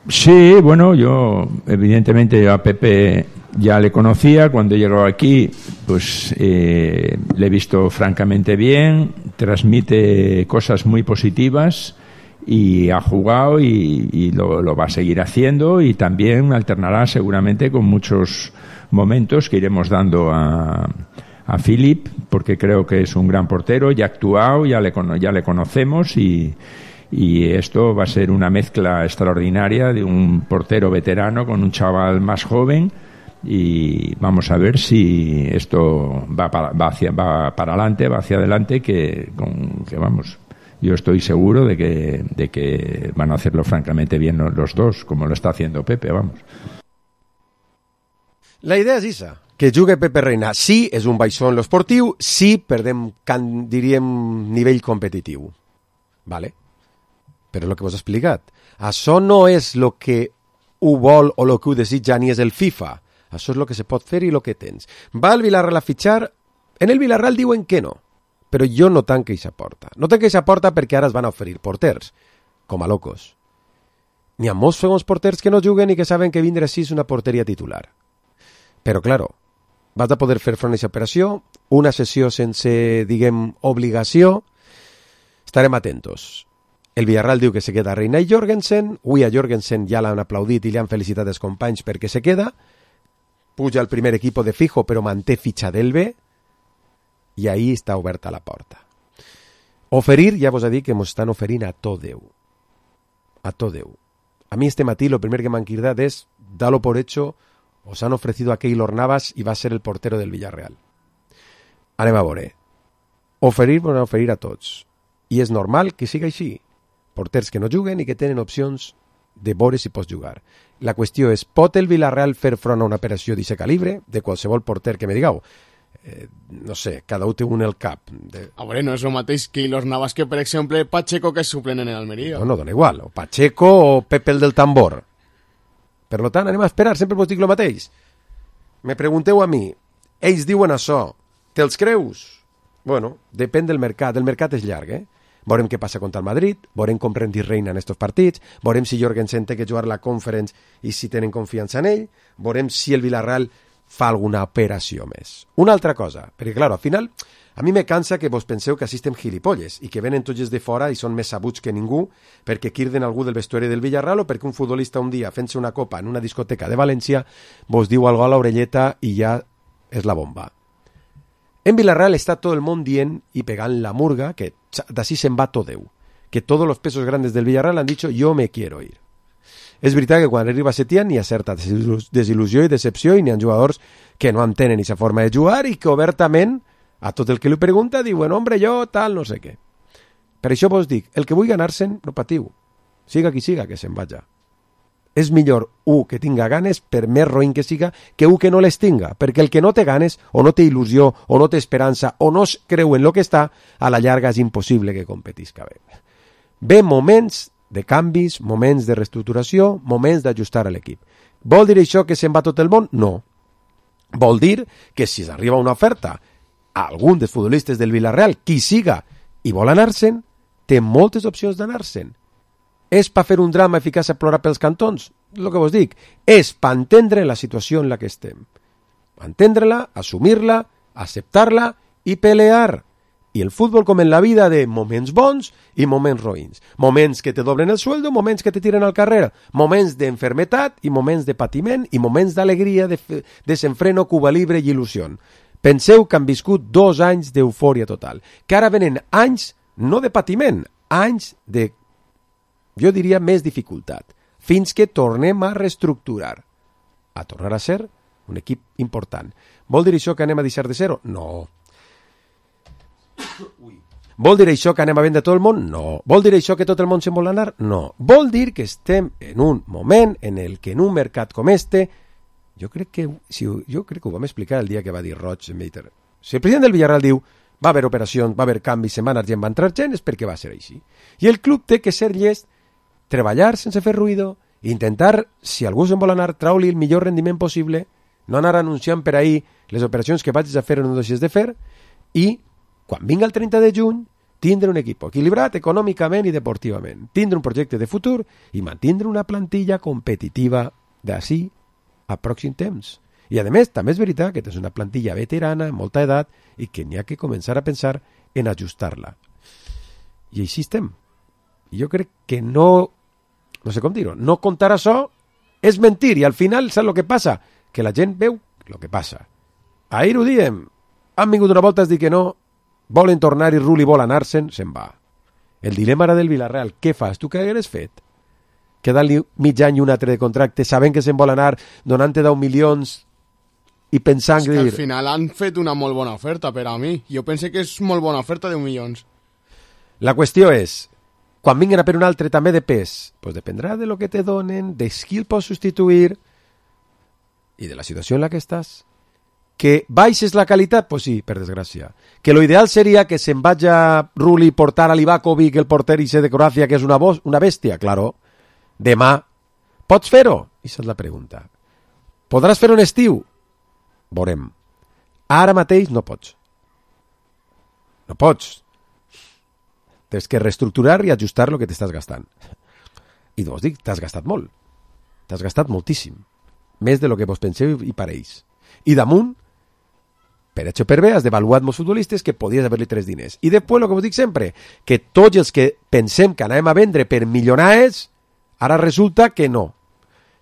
Sí, bueno, yo evidentemente a Pepe ya le conocía, cuando llegó aquí pues eh, le he visto francamente bien, transmite cosas muy positivas y ha jugado y, y lo, lo va a seguir haciendo, y también alternará seguramente con muchos momentos que iremos dando a, a Philip, porque creo que es un gran portero, ya ha actuado, ya le, ya le conocemos y, y esto va a ser una mezcla extraordinaria de un portero veterano con un chaval más joven, y vamos a ver si esto va para, va hacia, va para adelante, va hacia adelante, que, con, que vamos... Yo estoy seguro de que, de que van a hacerlo francamente bien los dos, como lo está haciendo Pepe, vamos. La idea és esa, que jugui Pepe Reina. Sí, és un baixó en l'esportiu, sí, perdem, can, diríem, nivell competitiu. Vale? Però el que vos he explicat, això no és el que ho vol o el que ho desitja ni és el FIFA. Això és el que se pot fer i el que tens. Va el Villarreal a fitxar, en el Villarreal diuen que no. Però jo no tanco aquesta porta. No tanco aquesta porta perquè ara es van a oferir porters, com a locos. N'hi ha molts segons porters que no juguen i que saben que vindre així és una porteria titular. Però, claro, vas a poder fer front a aquesta operació, una sessió sense, diguem, obligació. Estarem atentos. El Villarreal diu que se queda Reina i Jorgensen. Avui a Jorgensen ja l'han aplaudit i li han felicitat els companys perquè se queda. Puja al primer equip de fijo, però manté fitxa del B. I ahí està oberta la porta. Oferir, ja vos he dit que ens estan oferint a tot Déu. A tot Déu. A mi este matí el primer que m'han cridat és dar-lo por hecho os han ofrecido a Keylor Navas y va a ser el portero del Villarreal. Anem a veure. Oferir van oferir a tots. I és normal que siga així. Porters que no juguen i que tenen opcions de veure si pots jugar. La qüestió és, pot el Villarreal fer front a una operació d'aquest calibre? De qualsevol porter que me digueu. Eh, no sé, cada un té un el cap. De... A veure, no és el mateix Keylor Navas que, per exemple, Pacheco, que és suplent en Almeria. No, no, dona igual. O Pacheco o Pepe el del tambor. Per lo tant, anem a esperar, sempre vos dic el mateix. Me pregunteu a mi, ells diuen això, te'ls creus? Bueno, depèn del mercat, el mercat és llarg, eh? Veurem què passa contra el Madrid, veurem com Rendy reina en estos partits, veurem si Jorgensen té que jugar la Conference i si tenen confiança en ell, veurem si el Villarreal fa alguna operació més. Una altra cosa, perquè, clar, al final, a mi me cansa que vos penseu que assistem gilipolles i que venen tots de fora i són més sabuts que ningú perquè quirden algú del vestuari del Villarreal o perquè un futbolista un dia fent-se una copa en una discoteca de València vos diu algo a l'orelleta i ja és la bomba. En Villarreal està tot el món dient i pegant la murga que d'ací se'n va tot Déu, que tots els pesos grandes del Villarreal han dit yo me quiero ir. És veritat que quan arriba Setién hi ha certa desil·lusió i decepció i n'hi ha jugadors que no entenen aquesta forma de jugar i que obertament a tot el que li pregunta diuen hombre, jo tal, no sé què. Per això vos dic, el que vull ganar-se'n, no patiu. Siga qui siga, que se'n vaja. És millor un que tinga ganes, per més roïn que siga, que un que no les tinga, perquè el que no té ganes, o no té il·lusió, o no té esperança, o no es creu en lo que està, a la llarga és impossible que competisca bé. Ve moments de canvis, moments de reestructuració, moments d'ajustar a l'equip. Vol dir això que se'n va tot el món? No. Vol dir que si s'arriba una oferta a algun dels futbolistes del Villarreal, qui siga, i vol anar-se'n, té moltes opcions d'anar-se'n. És per fer un drama i ficar-se a plorar pels cantons? El que vos dic, és per entendre la situació en la que estem. Entendre-la, assumir-la, acceptar-la i pelear. I el futbol com en la vida de moments bons i moments roïns. Moments que te doblen el sueldo, moments que te tiren al carrer. Moments d'enfermetat i moments de patiment i moments d'alegria, de desenfreno, Cuba Libre i il·lusió. Penseu que han viscut dos anys d'eufòria total. Que ara venen anys, no de patiment, anys de, jo diria, més dificultat. Fins que tornem a reestructurar. A tornar a ser un equip important. Vol dir això que anem a deixar de ser-ho? No. Vol dir això que anem a vendre tot el món? No. Vol dir això que tot el món se'n vol anar? No. Vol dir que estem en un moment en el que en un mercat com este, jo crec que si, jo crec que ho vam explicar el dia que va dir Roig en Meiter. Si el president del Villarreal diu va haver operacions, va haver canvis, se'n va anar gent, va entrar gent, és perquè va ser així. I el club té que ser llest, treballar sense fer ruïdo, intentar, si algú se'n vol anar, trau-li el millor rendiment possible, no anar anunciant per ahir les operacions que vagis a fer o no deixes de fer, i quan vinga el trenta de juny, tindre un equip equilibrat econòmicament i deportivament, tindre un projecte de futur i mantindre una plantilla competitiva d'ací a pròxim temps. I a més, també és veritat que tens una plantilla veterana, amb molta edat, i que n'hi ha que començar a pensar en ajustar-la. I així estem. I jo crec que no, no sé com dir-ho, no contar això és mentir, i al final saps el que passa? Que la gent veu el que passa. Ahir ho diem, han vingut una volta a dir que no, volen tornar i Rulli vol anar-se'n, se'n va. El dilema era del Villarreal, què fas? Tu què hagueres fet? Quedant-li mig any i un altre de contracte, sabent que se'n vol anar, donant-te deu milions i pensant... És que al final han fet una molt bona oferta per a mi. Jo pense que és molt bona oferta, deu milions. La qüestió és, quan vinguin a per un altre també de pes, pues dependrà de lo que te donen, de qui el pots substituir i de la situació en la que estàs. Que baixes la qualitat? Pues sí, per desgràcia. Que lo ideal seria que se'n vaya Rulli portar a Livakovic, el porter ese de Croàcia, que és una, voz, una bèstia, claro. Demà, pots fer-ho? I és la pregunta. Podràs fer un estiu? Veurem. Ara mateix no pots. No pots. Tens que reestructurar i ajustar el que t'estàs gastant. I vos dic, t'has gastat molt. T'has gastat moltíssim. Més de lo que vos penseu i pareix. I damunt, per això per bé, has d'avaluar molts futbolistes que podies haver-li tres diners. I després, el que vos dic sempre, que tots els que pensem que anem a vendre per milionars, ara resulta que no.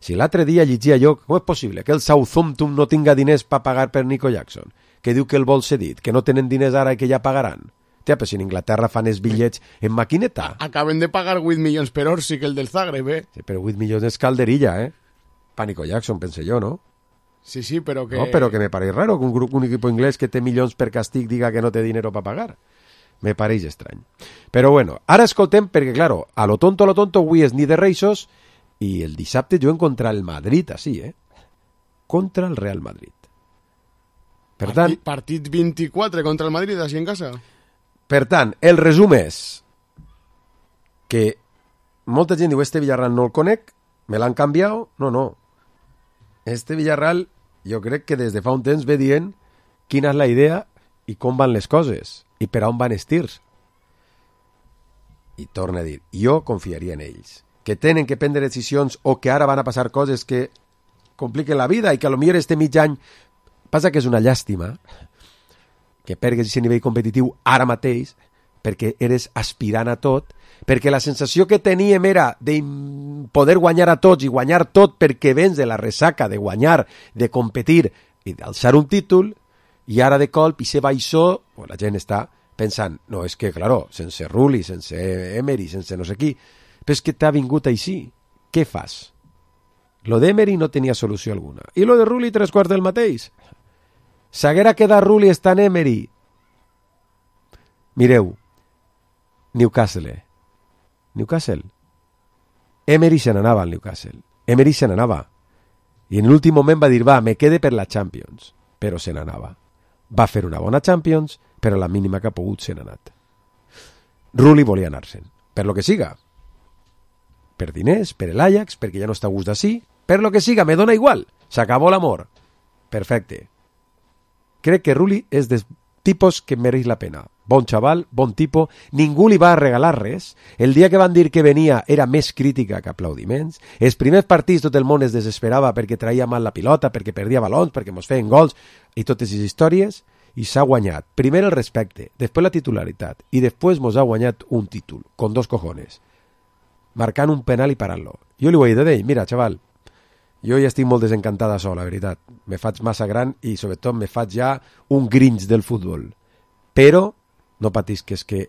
Si l'altre dia llegia jo, com és possible que el Southampton no tinga diners per pagar per Nico Jackson? Que diu que el vol cedit, que no tenen diners ara i que ja pagaran. Tia, però si en Inglaterra fan els bitllets en maquineta. Acaben de pagar vuit milions per hora, sí que el del Zagreb, eh? Sí, però vuit milions és calderilla, eh? Pa Nico Jackson, pense jo, no? Sí, sí, però que... No, però que me pareix raro que un grup, un equip inglès que té milions per castig diga que no té dinero per pagar. Me pareix estrany. Però bueno, ara escoltem, perquè, claro, a lo tonto, a lo tonto, avui és ni de Reixos i el dissabte juguen contra el Madrid, així, eh? Contra el Real Madrid. Per tant... Partit, partit vint-i-quatre contra el Madrid, així en casa. Per tant, el resum és que molta gent diu, este Villarreal no el conec, me l'han canviat, no, no. Este Villarreal, jo crec que des de fa un temps ve dient quina és la idea i com van les coses i per on van els tirs. I torna a dir, jo confiaria en ells, que tenen que prendre decisions o que ara van a passar coses que compliquen la vida i que a lo millor este mig any passa que és una llàstima que pergues aquest nivell competitiu ara mateix perquè eres aspirant a tot, perquè la sensació que teníem era de poder guanyar a tots i guanyar tot perquè vens de la ressaca de guanyar, de competir i d'alçar un títol, i ara de colp i se baixó, pues la gent està pensant, no, és que, claro, sense Rulli, sense Emery, sense no sé qui, però és que t'ha vingut així, què fas? Lo d'Emery no tenia solució alguna, i lo de Rulli tres quarts del mateix. S'haguera quedat Rulli estant Emery. Mireu, Newcastle. Newcastle. Emery se n'anava al Newcastle. Emery se n'anava. I en l'últim moment va dir, va, me quede per la Champions. Però se n'anava. Va fer una bona Champions, però a la mínima que ha pogut se n'ha anat. Rulli volia anar-se'n. Per lo que siga. Per diners, per l'Ajax, perquè ja no està a gust d'ací. Per lo que siga, me dona igual. S'acabó l'amor. Perfecte. Crec que Rulli és dels tipus que mereix la pena. Bon xaval, bon tipo, ningú li va regalar res. El dia que van dir que venia era més crítica que aplaudiments. Els primers partits tot el món es desesperava perquè traia mal la pilota, perquè perdia balons, perquè mos feien gols i totes les històries, i s'ha guanyat. Primer el respecte, després la titularitat i després mos ha guanyat un títol, con dos cojones, marcant un penal i parant-lo. Jo li ho he dit d'ell, mira, xaval, jo ja estic molt desencantada sol, la veritat. Me faig massa gran i, sobretot, me faig ja un grinch del futbol. Però no patisques, que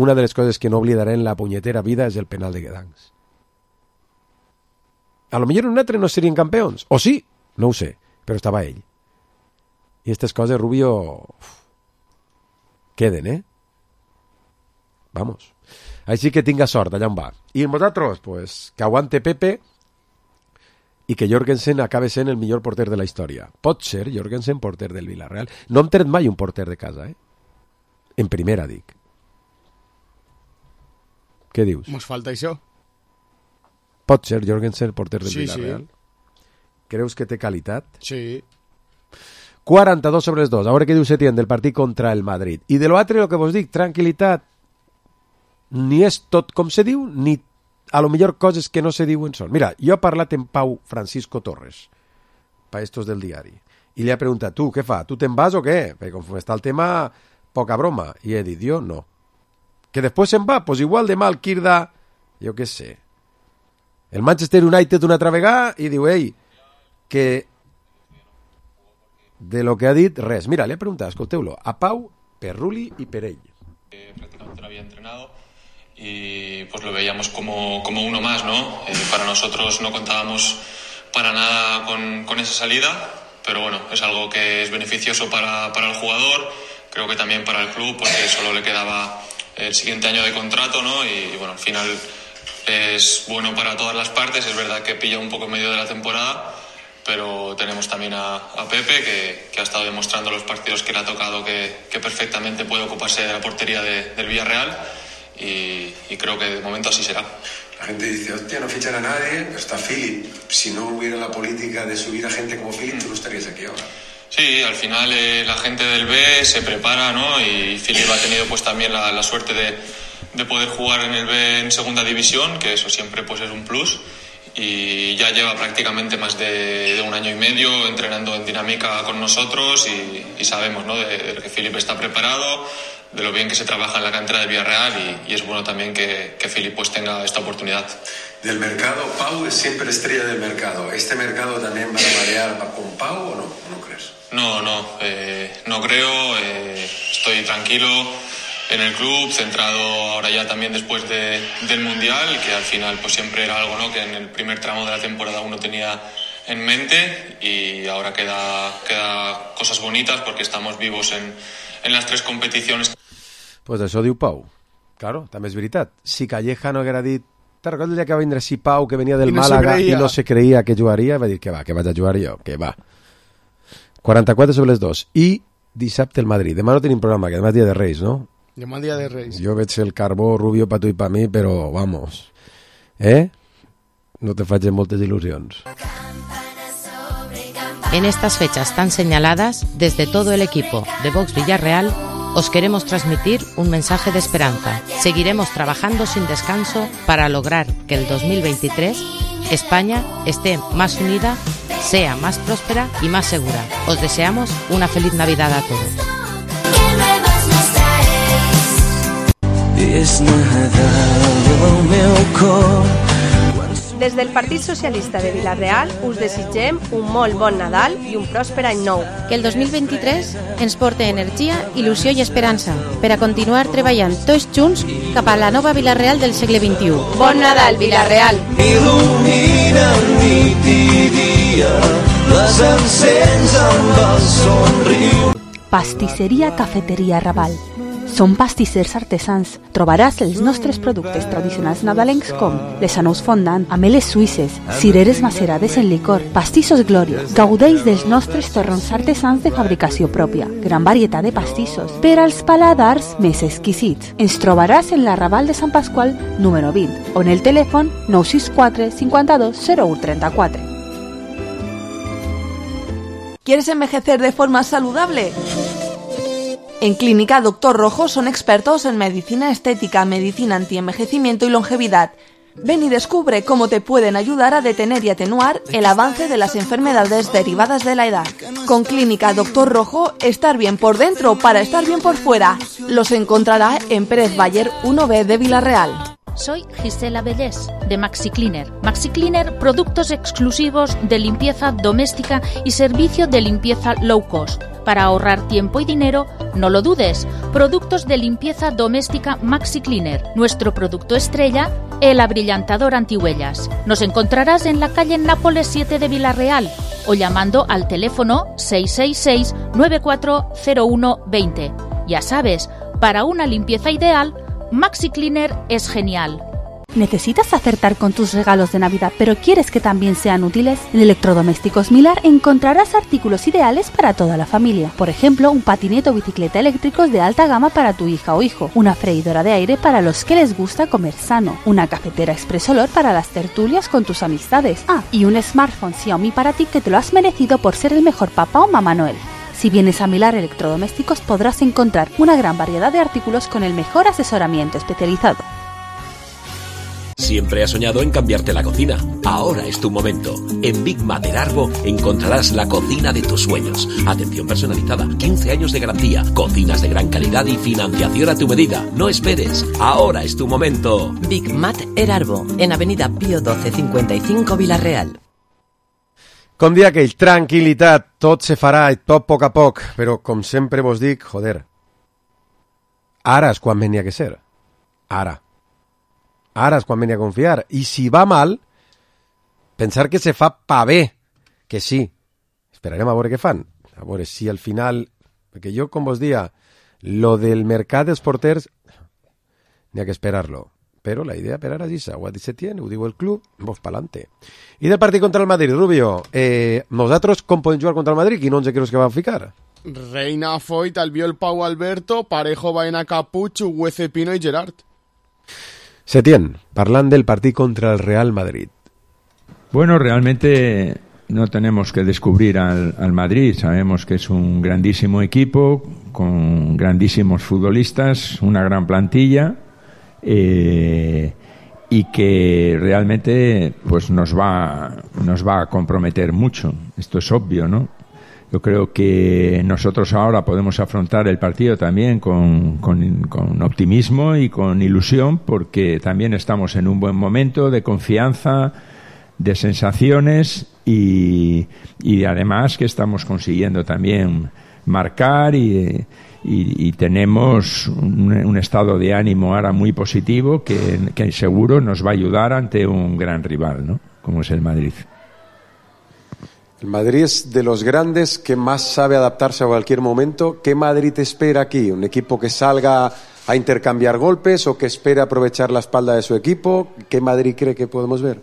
una de les coses que no oblidaré en la punyetera vida és el penal de Guedancs. A lo millor un altre no serien campions. O sí, no ho sé, però estava ell. I aquestes coses, Rubio, uf, queden, eh? Vamos. Així que tinga sort, allà on va. I nosaltres, pues, que aguante Pepe i que Jorgensen acabe sent el millor porter de la història. Pot ser Jorgensen porter del Villarreal. No hem tret mai un porter de casa, eh? En primera, dic. Què dius? Mos falta això. Pot ser Jorgensen porter del sí, Villarreal? Sí. Creus que té qualitat? Sí. quaranta-dos sobre els dos. A veure què diu Setién del partit contra el Madrid. I de l'altre, el que vos dic, tranquil·litat. Ni és tot com se diu, ni a lo millor coses que no se diuen són. Mira, jo he parlat en Pau Francisco Torres, pa estos del diari, i li he preguntat, tu, què fa? Tu te'n vas o què? Perquè com està el tema, poca broma. I he dit, jo no. Que després se'n va, pues igual demà el Quirda, jo què sé. El Manchester United una altra vegada i diu, ei, que de lo que ha dit, res. Mira, li he preguntat, escolteu-lo, a Pau, per Rulli i per ell. Prácticamente no había entrenado y pues lo veíamos como, como uno más, ¿no? Eh, para nosotros no contábamos para nada con, con esa salida, pero bueno, es algo que es beneficioso para, para el jugador, creo que también para el club, porque solo le quedaba el siguiente año de contrato, ¿no? Y bueno, al final es bueno para todas las partes, es verdad que pilla un poco en medio de la temporada, pero tenemos también a, a Pepe, que, que ha estado demostrando los partidos que le ha tocado que, que perfectamente puede ocuparse de la portería de, del Villarreal, y, y creo que de momento así será. La gente dice, hostia, no fichan a nadie, pero está Philip. Si no hubiera la política de subir a gente como Philip, tú no estarías aquí ahora. Sí, al final eh, la gente del B se prepara, ¿no? Y Philip ha tenido pues también la, la suerte de, de poder jugar en el B en segunda división, que eso siempre pues es un plus. Y ya lleva prácticamente más de, de un año y medio entrenando en dinámica con nosotros y, y sabemos, ¿no? de, de que Philip está preparado, de lo bien que se trabaja en la cantera del Villarreal, y, y es bueno también que, que Philip pues tenga esta oportunidad. Del mercado, Pau es siempre estrella del mercado. ¿Este mercado también va a variar con Pau o no? ¿No crees? No, no, eh, no creo, eh, estoy tranquilo en el club, centrado ahora ya también después de, del Mundial, que al final pues siempre era algo, ¿no? Que en el primer tramo de la temporada uno tenía en mente y ahora queda, queda cosas bonitas porque estamos vivos en, en las tres competiciones. Pues això diu Pau. Claro, també és veritat. Si Calleja no haguera dit... Te'n recordes el dia que va vindre si Pau, que venia del I no Màlaga se i no se creia que jugaria? Va dir que va, que vaig a jugar jo, que va. quaranta-quatre sobre les dos. I dissabte el Madrid. Demà no tenim programa, que demà és dia de Reis, no? Demà dia de Reis. Jo veig el carbó rubio pa tu i pa mi, però vamos. Eh? No te faig moltes il·lusions. En estas fechas tan señaladas, desde todo el equipo de Vox Villarreal, os queremos transmitir un mensaje de esperanza. Seguiremos trabajando sin descanso para lograr que el dos mil veintitrés España esté más unida, sea más próspera y más segura. Os deseamos una feliz Navidad a todos. Des del Partit Socialista de Vila-real us desitgem un molt bon Nadal i un pròsper any nou. Que el dos mil vint-i-tres ens porte energia, il·lusió i esperança per a continuar treballant tots junts cap a la nova Vila-real del segle vint-i-u. Bon Nadal, Vila-real! Il·lumina nit i dia, les encens amb el somriure. Pastisseria Cafeteria Raval. Som pastissers artesans. Trobaràs els nostres productes tradicionals nadalencs com les anous fondant, ameles suïsses, cireres macerades en licor, pastissos Glòria. Gaudeix dels nostres torrons artesans de fabricació pròpia. Gran varietat de pastissos per als paladars més exquisits. Ens trobaràs en la Raval de Sant Pasqual número vint o en el telèfon nou sis quatre cinquanta-dos zero u trenta-quatre. ¿Quieres envejecer de forma saludable? En Clínica Doctor Rojo son expertos en medicina estética, medicina antienvejecimiento y longevidad. Ven y descubre cómo te pueden ayudar a detener y atenuar el avance de las enfermedades derivadas de la edad. Con Clínica Doctor Rojo, estar bien por dentro para estar bien por fuera. Los encontrará en Pérez Bayer uno B de Vila-real. Soy Gisela Bellés, de Maxi Cleaner. Maxi Cleaner, productos exclusivos de limpieza doméstica y servicio de limpieza low cost. Para ahorrar tiempo y dinero, no lo dudes. Productos de limpieza doméstica Maxi Cleaner. Nuestro producto estrella, el abrillantador antihuellas. Nos encontrarás en la calle Nápoles siete de Vila-real o llamando al teléfono seis seis seis nueve cuatro cero uno dos cero. Ya sabes, para una limpieza ideal, Maxi Cleaner es genial. ¿Necesitas acertar con tus regalos de Navidad, pero quieres que también sean útiles? En Electrodomésticos Milar encontrarás artículos ideales para toda la familia. Por ejemplo, un patinete o bicicleta eléctricos de alta gama para tu hija o hijo, una freidora de aire para los que les gusta comer sano, una cafetera Express Olor para las tertulias con tus amistades. Ah, y un smartphone Xiaomi para ti que te lo has merecido por ser el mejor papá o mamá Noel. Si vienes a Milar Electrodomésticos podrás encontrar una gran variedad de artículos con el mejor asesoramiento especializado. Siempre has soñado en cambiarte la cocina. Ahora es tu momento. En Big Mater Arbo encontrarás la cocina de tus sueños. Atención personalizada, quince años de garantía, cocinas de gran calidad y financiación a tu medida. No esperes. Ahora es tu momento. Big Mater Arbo, en Avenida Pío doce cincuenta y cinco Vila-real. Com dia aquell, tranquil·litat, tot se farà i tot a poc a poc, però com sempre vos dic, joder, ara és quan venia que ser. Ara. Ara és quan venia a confiar. I si va mal, pensar que se fa pa bé, que sí. Esperarem a veure què fan. A veure si al final... Perquè jo, com vos dia, lo del mercat dels porters, n'hi ha que esperar-lo. Però la idea per ara és esa, ho se tiene, ho diu el club, vos pa'lante. I del partit contra el Madrid, Rubio, eh, nosaltres com podem jugar contra el Madrid? Quin onze creus que van ficar? Reina, Foyt, Albiol, Pau, Alberto, Parejo, Baena, Capucho, Huece, Pino y Gerard. Setién, parlant del partit contra el Real Madrid. Bueno, realmente no tenemos que descubrir al, al Madrid. Sabemos que es un grandísimo equipo, con grandísimos futbolistas, una gran plantilla, eh, y que realmente pues nos va, nos va a comprometer mucho. Esto es obvio, ¿no? Yo creo que nosotros ahora podemos afrontar el partido también con, con, con optimismo y con ilusión, porque también estamos en un buen momento de confianza, de sensaciones y, y además que estamos consiguiendo también marcar y, y, y tenemos un, un estado de ánimo ahora muy positivo que, que seguro nos va a ayudar ante un gran rival, ¿no? Como es el Madrid. El Madrid es de los grandes que más sabe adaptarse a cualquier momento. ¿Qué Madrid te espera aquí? ¿Un equipo que salga a intercambiar golpes o que espera aprovechar la espalda de su equipo? ¿Qué Madrid cree que podemos ver?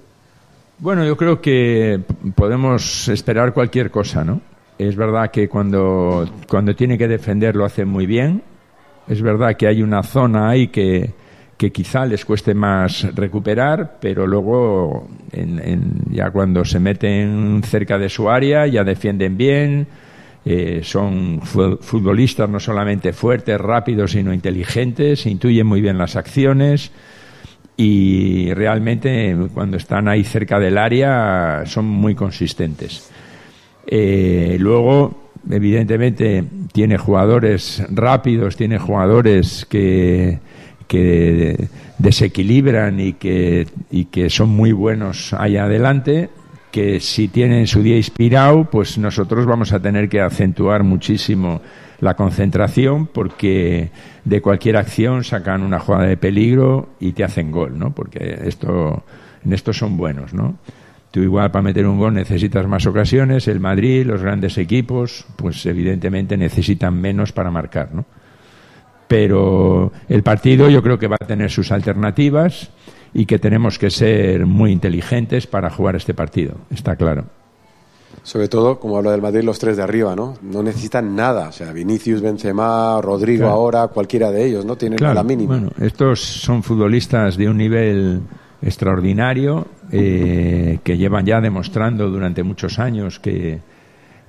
Bueno, yo creo que podemos esperar cualquier cosa, ¿no? Es verdad que cuando, cuando tiene que defender lo hace muy bien. Es verdad que hay una zona ahí que, que quizá les cueste más recuperar, pero luego en, en, ya cuando se meten cerca de su área ya defienden bien. Eh, son futbolistas no solamente fuertes, rápidos, sino inteligentes, intuyen muy bien las acciones y realmente cuando están ahí cerca del área son muy consistentes. Eh, luego, evidentemente, tiene jugadores rápidos, tiene jugadores que, que desequilibran y que, y que son muy buenos allá adelante, que si tienen su día inspirado, pues nosotros vamos a tener que acentuar muchísimo la concentración, porque de cualquier acción sacan una jugada de peligro y te hacen gol, ¿no? Porque esto, en esto son buenos, ¿no? Tú igual para meter un gol necesitas más ocasiones, el Madrid, los grandes equipos, pues evidentemente necesitan menos para marcar, ¿no? Pero el partido yo creo que va a tener sus alternativas y que tenemos que ser muy inteligentes para jugar este partido, está claro. Sobre todo, como habla del Madrid, los tres de arriba, ¿no? No necesitan nada, o sea, Vinicius, Benzema, Rodrigo, claro. Ahora, cualquiera de ellos, ¿no? Tienen claro, la mínima. Bueno, estos son futbolistas de un nivel extraordinario, eh, que llevan ya demostrando durante muchos años que,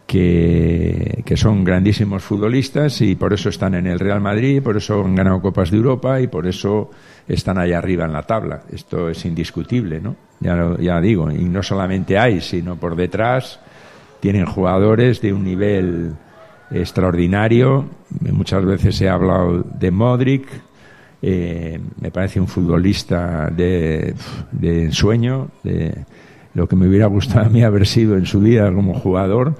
que, que son grandísimos futbolistas y por eso están en el Real Madrid, por eso han ganado Copas de Europa y por eso están allá arriba en la tabla. Esto es indiscutible, ¿no? Ya, lo, ya digo, y no solamente hay, sino por detrás tienen jugadores de un nivel extraordinario. Muchas veces he hablado de Modric, eh, me parece un futbolista de, de ensueño, de lo que me hubiera gustado a mí haber sido en su vida como jugador,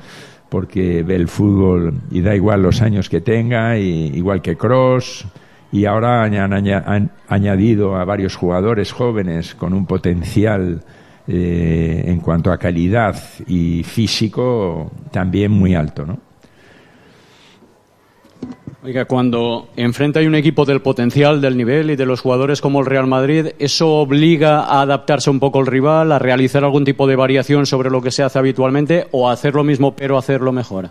porque ve el fútbol y da igual los años que tenga, y, igual que Kroos, y ahora han, han añadido a varios jugadores jóvenes con un potencial eh, en cuanto a calidad y físico también muy alto, ¿no? Oiga, cuando enfrenta hay un equipo del potencial, del nivel y de los jugadores como el Real Madrid, ¿eso obliga a adaptarse un poco al rival, a realizar algún tipo de variación sobre lo que se hace habitualmente o a hacer lo mismo pero hacerlo mejor?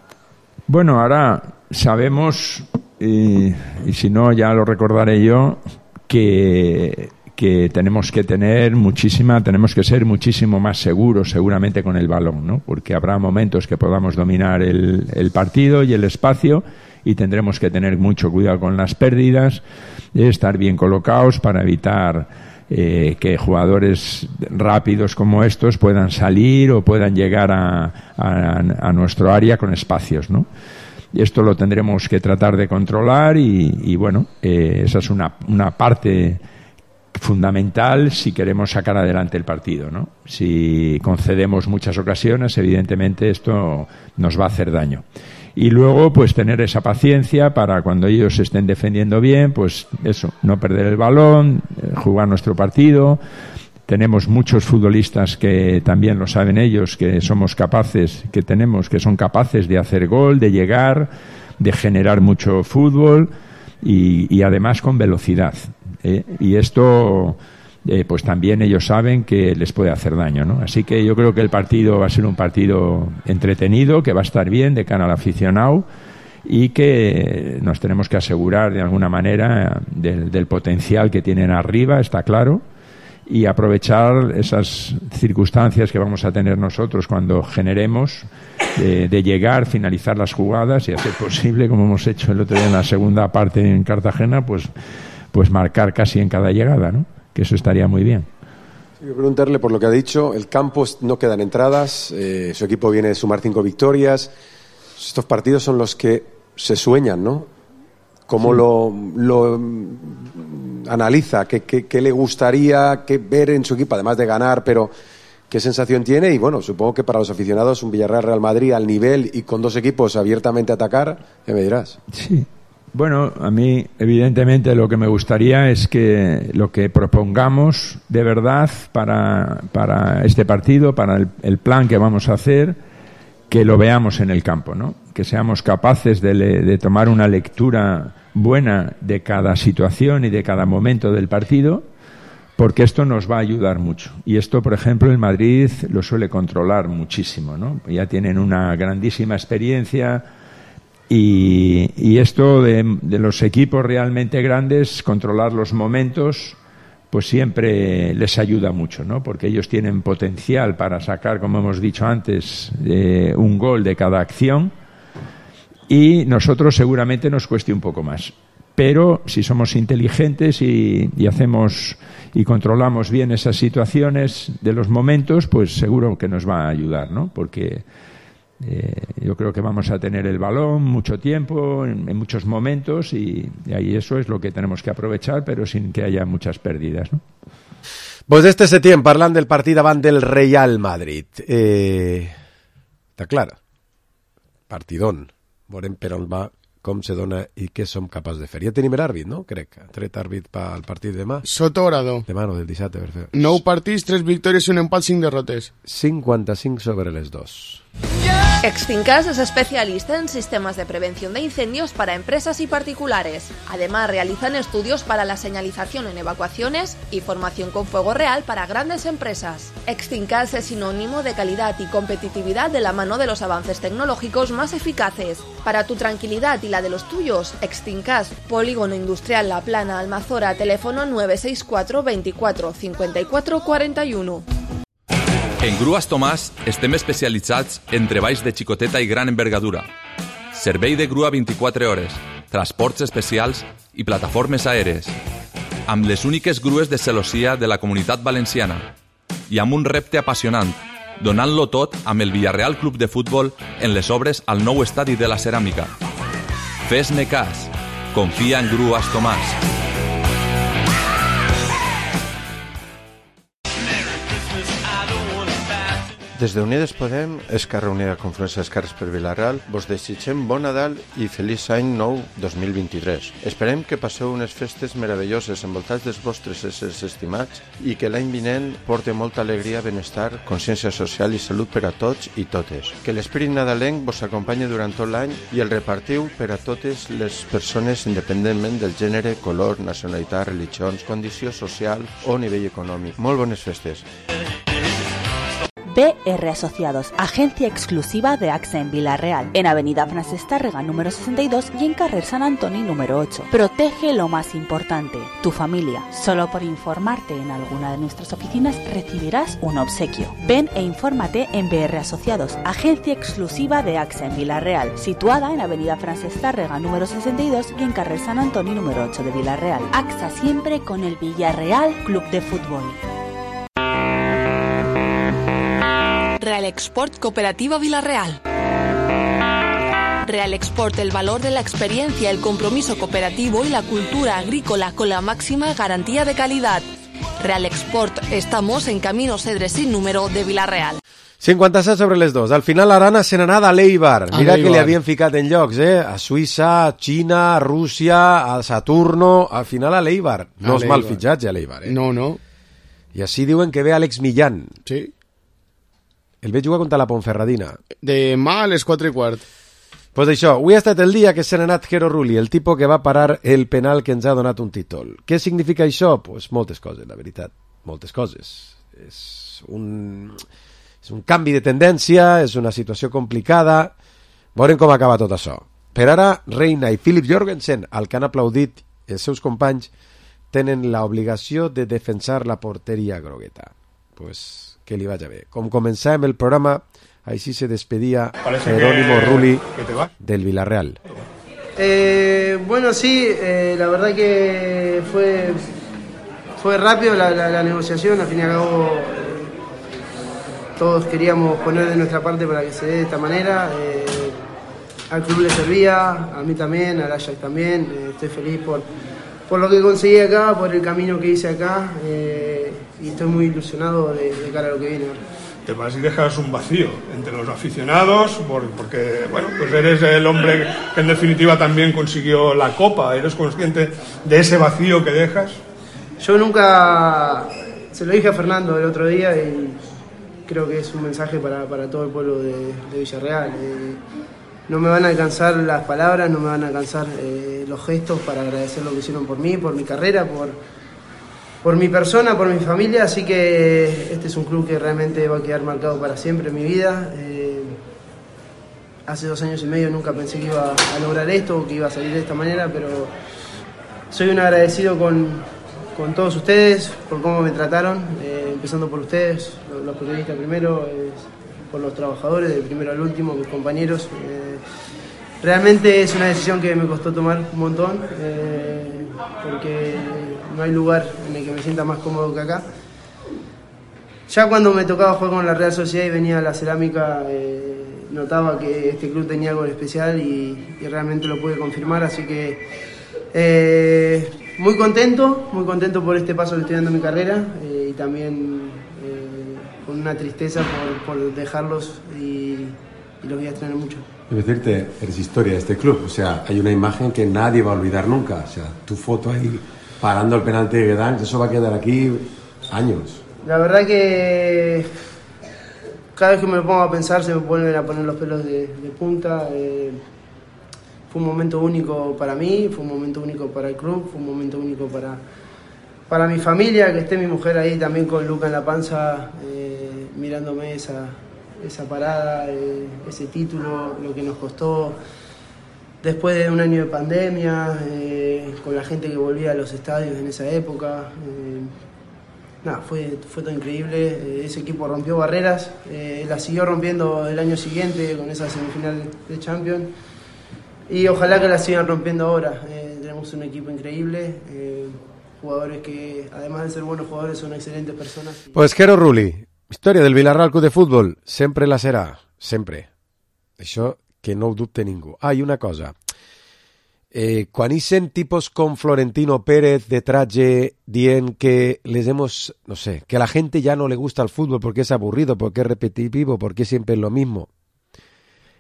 Bueno, ahora sabemos, y, y si no ya lo recordaré yo, que, que tenemos que tener muchísima, tenemos que ser muchísimo más seguros seguramente con el balón, ¿no? Porque habrá momentos que podamos dominar el, el partido y el espacio, y tendremos que tener mucho cuidado con las pérdidas, estar bien colocados para evitar eh, que jugadores rápidos como estos puedan salir o puedan llegar a, a, a nuestro área con espacios, ¿no? Y esto lo tendremos que tratar de controlar y, y bueno, eh, esa es una, una parte fundamental si queremos sacar adelante el partido, ¿no? Si concedemos muchas ocasiones, evidentemente esto nos va a hacer daño. Y luego, pues tener esa paciencia para cuando ellos estén defendiendo bien, pues eso, no perder el balón, jugar nuestro partido. Tenemos muchos futbolistas que también lo saben ellos, que somos capaces, que tenemos, que son capaces de hacer gol, de llegar, de generar mucho fútbol y, y además con velocidad, ¿eh? Y esto, eh, pues también ellos saben que les puede hacer daño, ¿no? Así que yo creo que el partido va a ser un partido entretenido, que va a estar bien de cara al aficionado y que nos tenemos que asegurar de alguna manera del, del potencial que tienen arriba, está claro, y aprovechar esas circunstancias que vamos a tener nosotros cuando generemos, de, de llegar, finalizar las jugadas y hacer posible, como hemos hecho el otro día en la segunda parte en Cartagena, pues, pues marcar casi en cada llegada, ¿no? Que eso estaría muy bien. Quiero preguntarle por lo que ha dicho. El campo no quedan entradas, eh, su equipo viene de sumar cinco victorias. Estos partidos son los que se sueñan, ¿no? ¿Cómo sí. lo, lo analiza? ¿Qué, qué, qué le gustaría que ver en su equipo, además de ganar, pero qué sensación tiene? Y bueno, supongo que para los aficionados un Villarreal-Real Madrid al nivel y con dos equipos abiertamente a atacar, ¿qué me dirás? Sí. Bueno, a mí evidentemente lo que me gustaría es que lo que propongamos de verdad para, para este partido, para el, el plan que vamos a hacer, que lo veamos en el campo, ¿no? Que seamos capaces de, le, de tomar una lectura buena de cada situación y de cada momento del partido, porque esto nos va a ayudar mucho. Y esto, por ejemplo, el Madrid lo suele controlar muchísimo, ¿no? Ya tienen una grandísima experiencia y, y esto de, de los equipos realmente grandes, controlar los momentos, pues siempre les ayuda mucho, ¿no? Porque ellos tienen potencial para sacar, como hemos dicho antes, eh, un gol de cada acción, y nosotros seguramente nos cueste un poco más. Pero si somos inteligentes y, y hacemos y controlamos bien esas situaciones de los momentos, pues seguro que nos va a ayudar, ¿no? Porque eh, yo creo que vamos a tener el balón mucho tiempo, en, en muchos momentos, y, y ahí eso es lo que tenemos que aprovechar, pero sin que haya muchas pérdidas, ¿no? Pues este setién, parlant del partit davant del Real Madrid. Eh, està clar, partidón. Veurem per on va, com se dona i què som capaços de fer. Ja tenim l'àrbit, no? Crec. Tret àrbit pel partit de demà. Soto Orador. Demà no, del dissabte, per fer. Nou partits, tres victòries i un empat, cinc derrotes. cinquanta-cinc sobre les dos. Exfincas es especialista en sistemas de prevención de incendios para empresas y particulares. Además, realizan estudios para la señalización en evacuaciones y formación con fuego real para grandes empresas. Exfincas es sinónimo de calidad y competitividad de la mano de los avances tecnológicos más eficaces. Para tu tranquilidad y la de los tuyos, Exfincas, Polígono Industrial La Plana, Almazora, teléfono nueve seis cuatro veinticuatro cincuenta y cuatro cuarenta y uno. En Grues Tomàs estem especialitzats en treballs de xicoteta i gran envergadura, servei de grua vint-i-quatre hores, transports especials i plataformes aèries, amb les úniques grues de celossia de la Comunitat Valenciana i amb un repte apassionant, donant-lo tot amb el Villarreal Club de Futbol en les obres al nou estadi de la Ceràmica. Fes-me cas, confia en Grues Tomàs. Des d'Unides Podem, Esquerra Unida Confluència d'Esquerres per Vila-real, vos desitgem bon Nadal i feliç any nou dos mil vint-i-tres. Esperem que passeu unes festes meravelloses envoltats dels vostres éssers estimats i que l'any vinent porte molta alegria, benestar, consciència social i salut per a tots i totes. Que l'esperit nadalenc vos acompanyi durant tot l'any i el repartiu per a totes les persones independentment del gènere, color, nacionalitat, religions, condició social o nivell econòmic. Molt bones festes. B R Asociados, agencia exclusiva de AXA en Vila-real, en Avenida Francesc Tàrrega número sesenta y dos y en Carrer San Antoni número ocho. Protege lo más importante, tu familia. Solo por informarte en alguna de nuestras oficinas recibirás un obsequio. Ven e infórmate en B R Asociados, agencia exclusiva de AXA en Vila-real, situada en Avenida Francesc Tàrrega número sesenta y dos y en Carrer San Antoni número ocho de Vila-real. AXA siempre con el Villarreal Club de Fútbol. Real Export Cooperativa Vila-real. Real Export, el valor de la experiencia, el compromiso cooperativo y la cultura agrícola con la máxima garantía de calidad. Real Export, estamos en Camino Cedre sin número de Vila-real. cinquanta-set sobre les dos. Al final l'Arana se n'anà a l'Eibar. Mira que li havien ficat en llocs, eh? A Suïssa, a Xina, a Rússia, a Saturno, al final a l'Eibar. No és mal fitxatge a l'Eibar, eh? No, no. I així diuen que ve Àlex Millán. Sí. El veig jugar contra la Ponferradina. Demà a les quatre i quart. Pues això, avui ha estat el dia que se n'ha anat Jero Rulli, el tipus que va parar el penal que ens ha donat un títol. Què significa això? Pues moltes coses, la veritat. Moltes coses. És un, és un canvi de tendència, és una situació complicada. Veurem com acaba tot això. Per ara, Reina i Philip Jorgensen, al que han aplaudit els seus companys, tenen l'obligació de defensar la porteria grogueta. Pues que li vaya bé. Com començàvem el programa, així se despedia Jerónimo Rulli del Villarreal. Eh, bueno, sí, eh, la verdad que fue, fue rápido la, la, la negociación, al fin y al cabo eh, todos queríamos poner de nuestra parte para que se dé de esta manera. Eh, al club le servía, a mí también, al Ajax también, eh, estoy feliz por... por lo que conseguí acá, por el camino que hice acá, eh, y estoy muy ilusionado de, de cara a lo que viene ahora. Te vas y dejas un vacío entre los aficionados, por, porque bueno, pues eres el hombre que en definitiva también consiguió la Copa. ¿Eres consciente de ese vacío que dejas? Yo nunca, se lo dije a Fernando el otro día y, creo que es un mensaje para, para todo el pueblo de, de Villarreal. Eh, no me van a alcanzar las palabras, no me van a alcanzar eh, los gestos para agradecer lo que hicieron por mí, por mi carrera, por, por mi persona, por mi familia, así que este es un club que realmente va a quedar marcado para siempre en mi vida. Eh, hace dos años y medio nunca pensé que iba a lograr esto, que iba a salir de esta manera, pero soy un agradecido con, con todos ustedes por cómo me trataron, eh, empezando por ustedes, los, los periodistas primero, eh, por los trabajadores, del primero al último, mis compañeros. Eh, realmente es una decisión que me costó tomar un montón, eh, porque no hay lugar en el que me sienta más cómodo que acá. Ya cuando me tocaba jugar con la Real Sociedad y venía a la cerámica, eh, notaba que este club tenía algo especial y, y realmente lo pude confirmar, así que eh, muy contento, muy contento por este paso que estoy dando en mi carrera eh, y también eh, con una tristeza por, por dejarlos y, y los voy a extrañar mucho. Quiero decirte, eres historia de este club, o sea, hay una imagen que nadie va a olvidar nunca, o sea, tu foto ahí parando el penalti de Guedanx, eso va a quedar aquí años. La verdad que cada vez que me lo pongo a pensar se me vuelven a poner los pelos de, de punta. Eh, fue un momento único para mí, fue un momento único para el club, fue un momento único para, para mi familia, que esté mi mujer ahí también con Luca en la panza, eh, mirándome esa, esa parada, eh, ese título, lo que nos costó después de un año de pandemia, eh, con la gente que volvía a los estadios en esa época. Eh, Nada, fue, fue todo increíble, eh, ese equipo rompió barreras, eh, la siguió rompiendo el año siguiente con esa semifinal de Champions y ojalá que la sigan rompiendo ahora. Eh, tenemos un equipo increíble, eh, jugadores que además de ser buenos jugadores son excelentes personas. Pues Jero Rulli, història del Vilarreal Club de Futbol, sempre la serà, sempre. Això que no ho dubte ningú. Ah, i una cosa, Eh, quan ixen tipos com Florentino Pérez de traje dient que les hemos, no sé, que a la gente ya no le gusta el fútbol porque es aburrido, porque es repetitivo, porque siempre es lo mismo.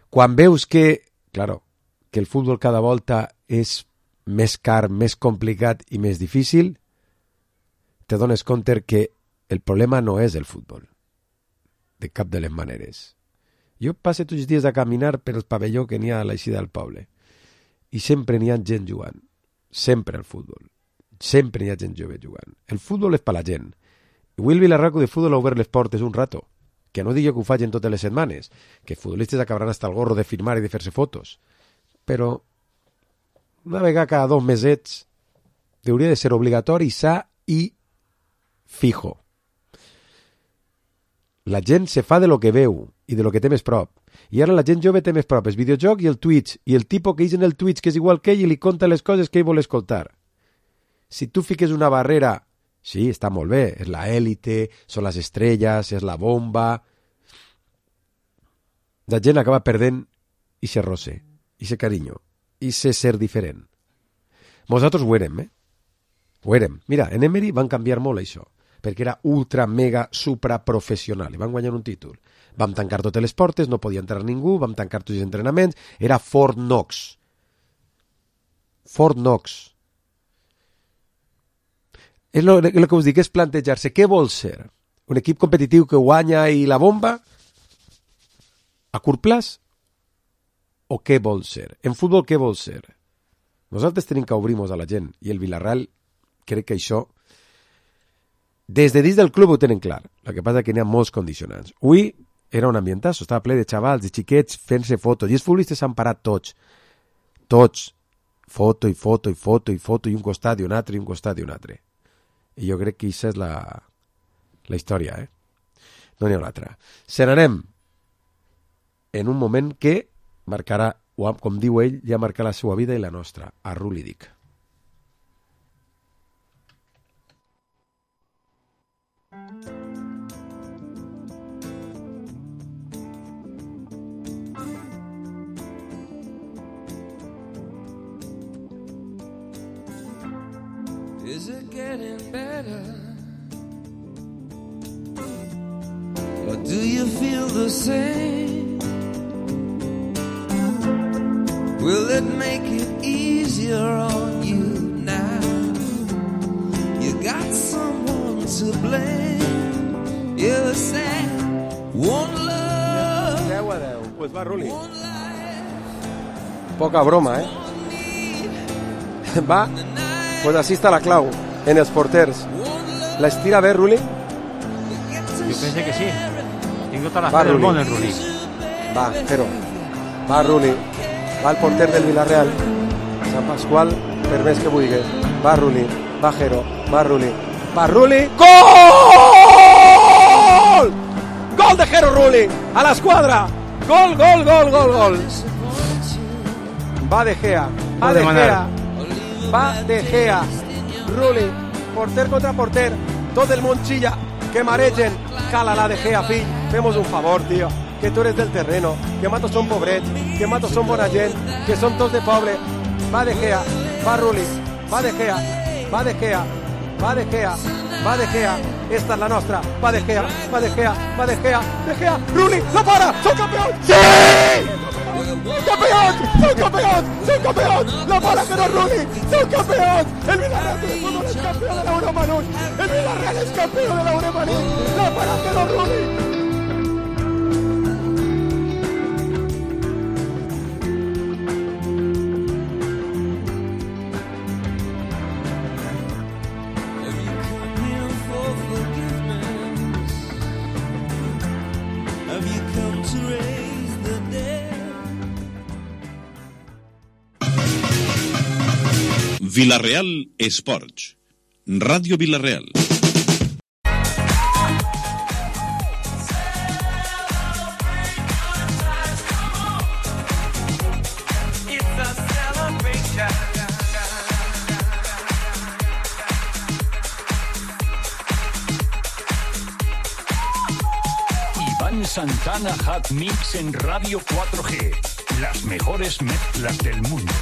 Quan veus que, claro, que el fútbol cada volta és més car, més complicat i més difícil, te dones compte que el problema no és el futbol, de cap de les maneres. Jo passe tots els dies a caminar per el pavelló que n'hi ha a l'eixida del poble. I sempre n'hi ha gent jugant, sempre al futbol, sempre n'hi ha gent jove jugant. El futbol és per la gent. I avui el Vilarreal Club de Futbol ha obert les portes un rato, que no digui que ho facin totes les setmanes, que futbolistes acabaran hasta el gorro de firmar i de fer-se fotos, però una vegada cada dos mesets hauria de ser obligatori, sa i fijo. La gent se fa de lo que veu i de lo que té més prop. I ara la gent jove té més prop el videojoc i el Twitch, i el tipus que és en el Twitch que és igual que ell i li conta les coses que ell vol escoltar. Si tu fiques una barrera, sí, està molt bé, és la élite, són les estrelles, és la bomba. La gent acaba perdent i se roce, i se carinyo, i se ser diferent. Nosaltres ho érem, eh? Ho érem. Mira, en Emery van canviar molt això, perquè era ultra, mega, supra professional, i van guanyar un títol. Vam tancar totes les portes, no podia entrar ningú, vam tancar tots els entrenaments, era Fort Knox. Fort Knox. És el que us dic, és plantejar-se què vol ser. Un equip competitiu que guanya i la bomba? A curt plaç? O què vol ser? En futbol què vol ser? Nosaltres tenim que obrir-nos a la gent, i el Vilarreal crec que això des de dins del club ho tenen clar. El que passa és que n'hi ha molts condicionants. Avui era un ambientazo, estava ple de xavals, de xiquets fent-se fotos, i els futbolistes s'han parat tots, tots, foto i foto i foto i foto, i un costat i un altre i un costat i un altre. I jo crec que aquesta és la, la història, eh? No n'hi ha una altra. Se n'anem en un moment que marcarà, com diu ell, ja marcarà la seva vida i la nostra, a Rulli dic. Is it getting better? Or do you feel the same? Will it make it easier on you now? You got someone to blame. You're sad deu a deu. Pues va, Ruli. Poca broma, eh? Va, pues així està la clau, en els porters. L'estira bé, Ruli? Jo penso que sí. Tinc tota la Va, fe del Ruli. món, el Ruli. Va, Jero. Va, Ruli. Va el porter del Villarreal. Sant Pasqual, per més que vulgui. Va, Ruli. Va, Jero. Va, Ruli. Va, Ruli. Gol! Gol de Jero Ruli. A l'esquadra. Gol, gol, gol, gol, gol. Va De Gea. Va De Gea. Va De Gea. Ruli. Porter contra porter. Tot el món xilla. Que maregen. Cala la De Gea, fill. Femos un favor, tío. Que tú eres del terreno, que matos son pobrets, que matos son bona gent, que son tots de poble. Va De Gea, va Ruli, va De Gea, va De Gea, va De Gea, va De Gea. Esta es la nostra. Va De Gea, va De Gea, va De Gea, De Gea. Ruli, la para, son campeón. ¡Sí! ¡Campeón! ¡Son campeón! ¡Son campeón! ¡La para que no Ruli! ¡Son campeón! ¡El Villarreal de fútbol es campeón de la Euromanu! ¡El Villarreal es campeón de la Euromanu! ¡La para que no Ruli! Villarreal Esports. Ràdio Villarreal. Iván Santana Hot Mix en Radio cuatro G. Las mejores mezclas del mundo.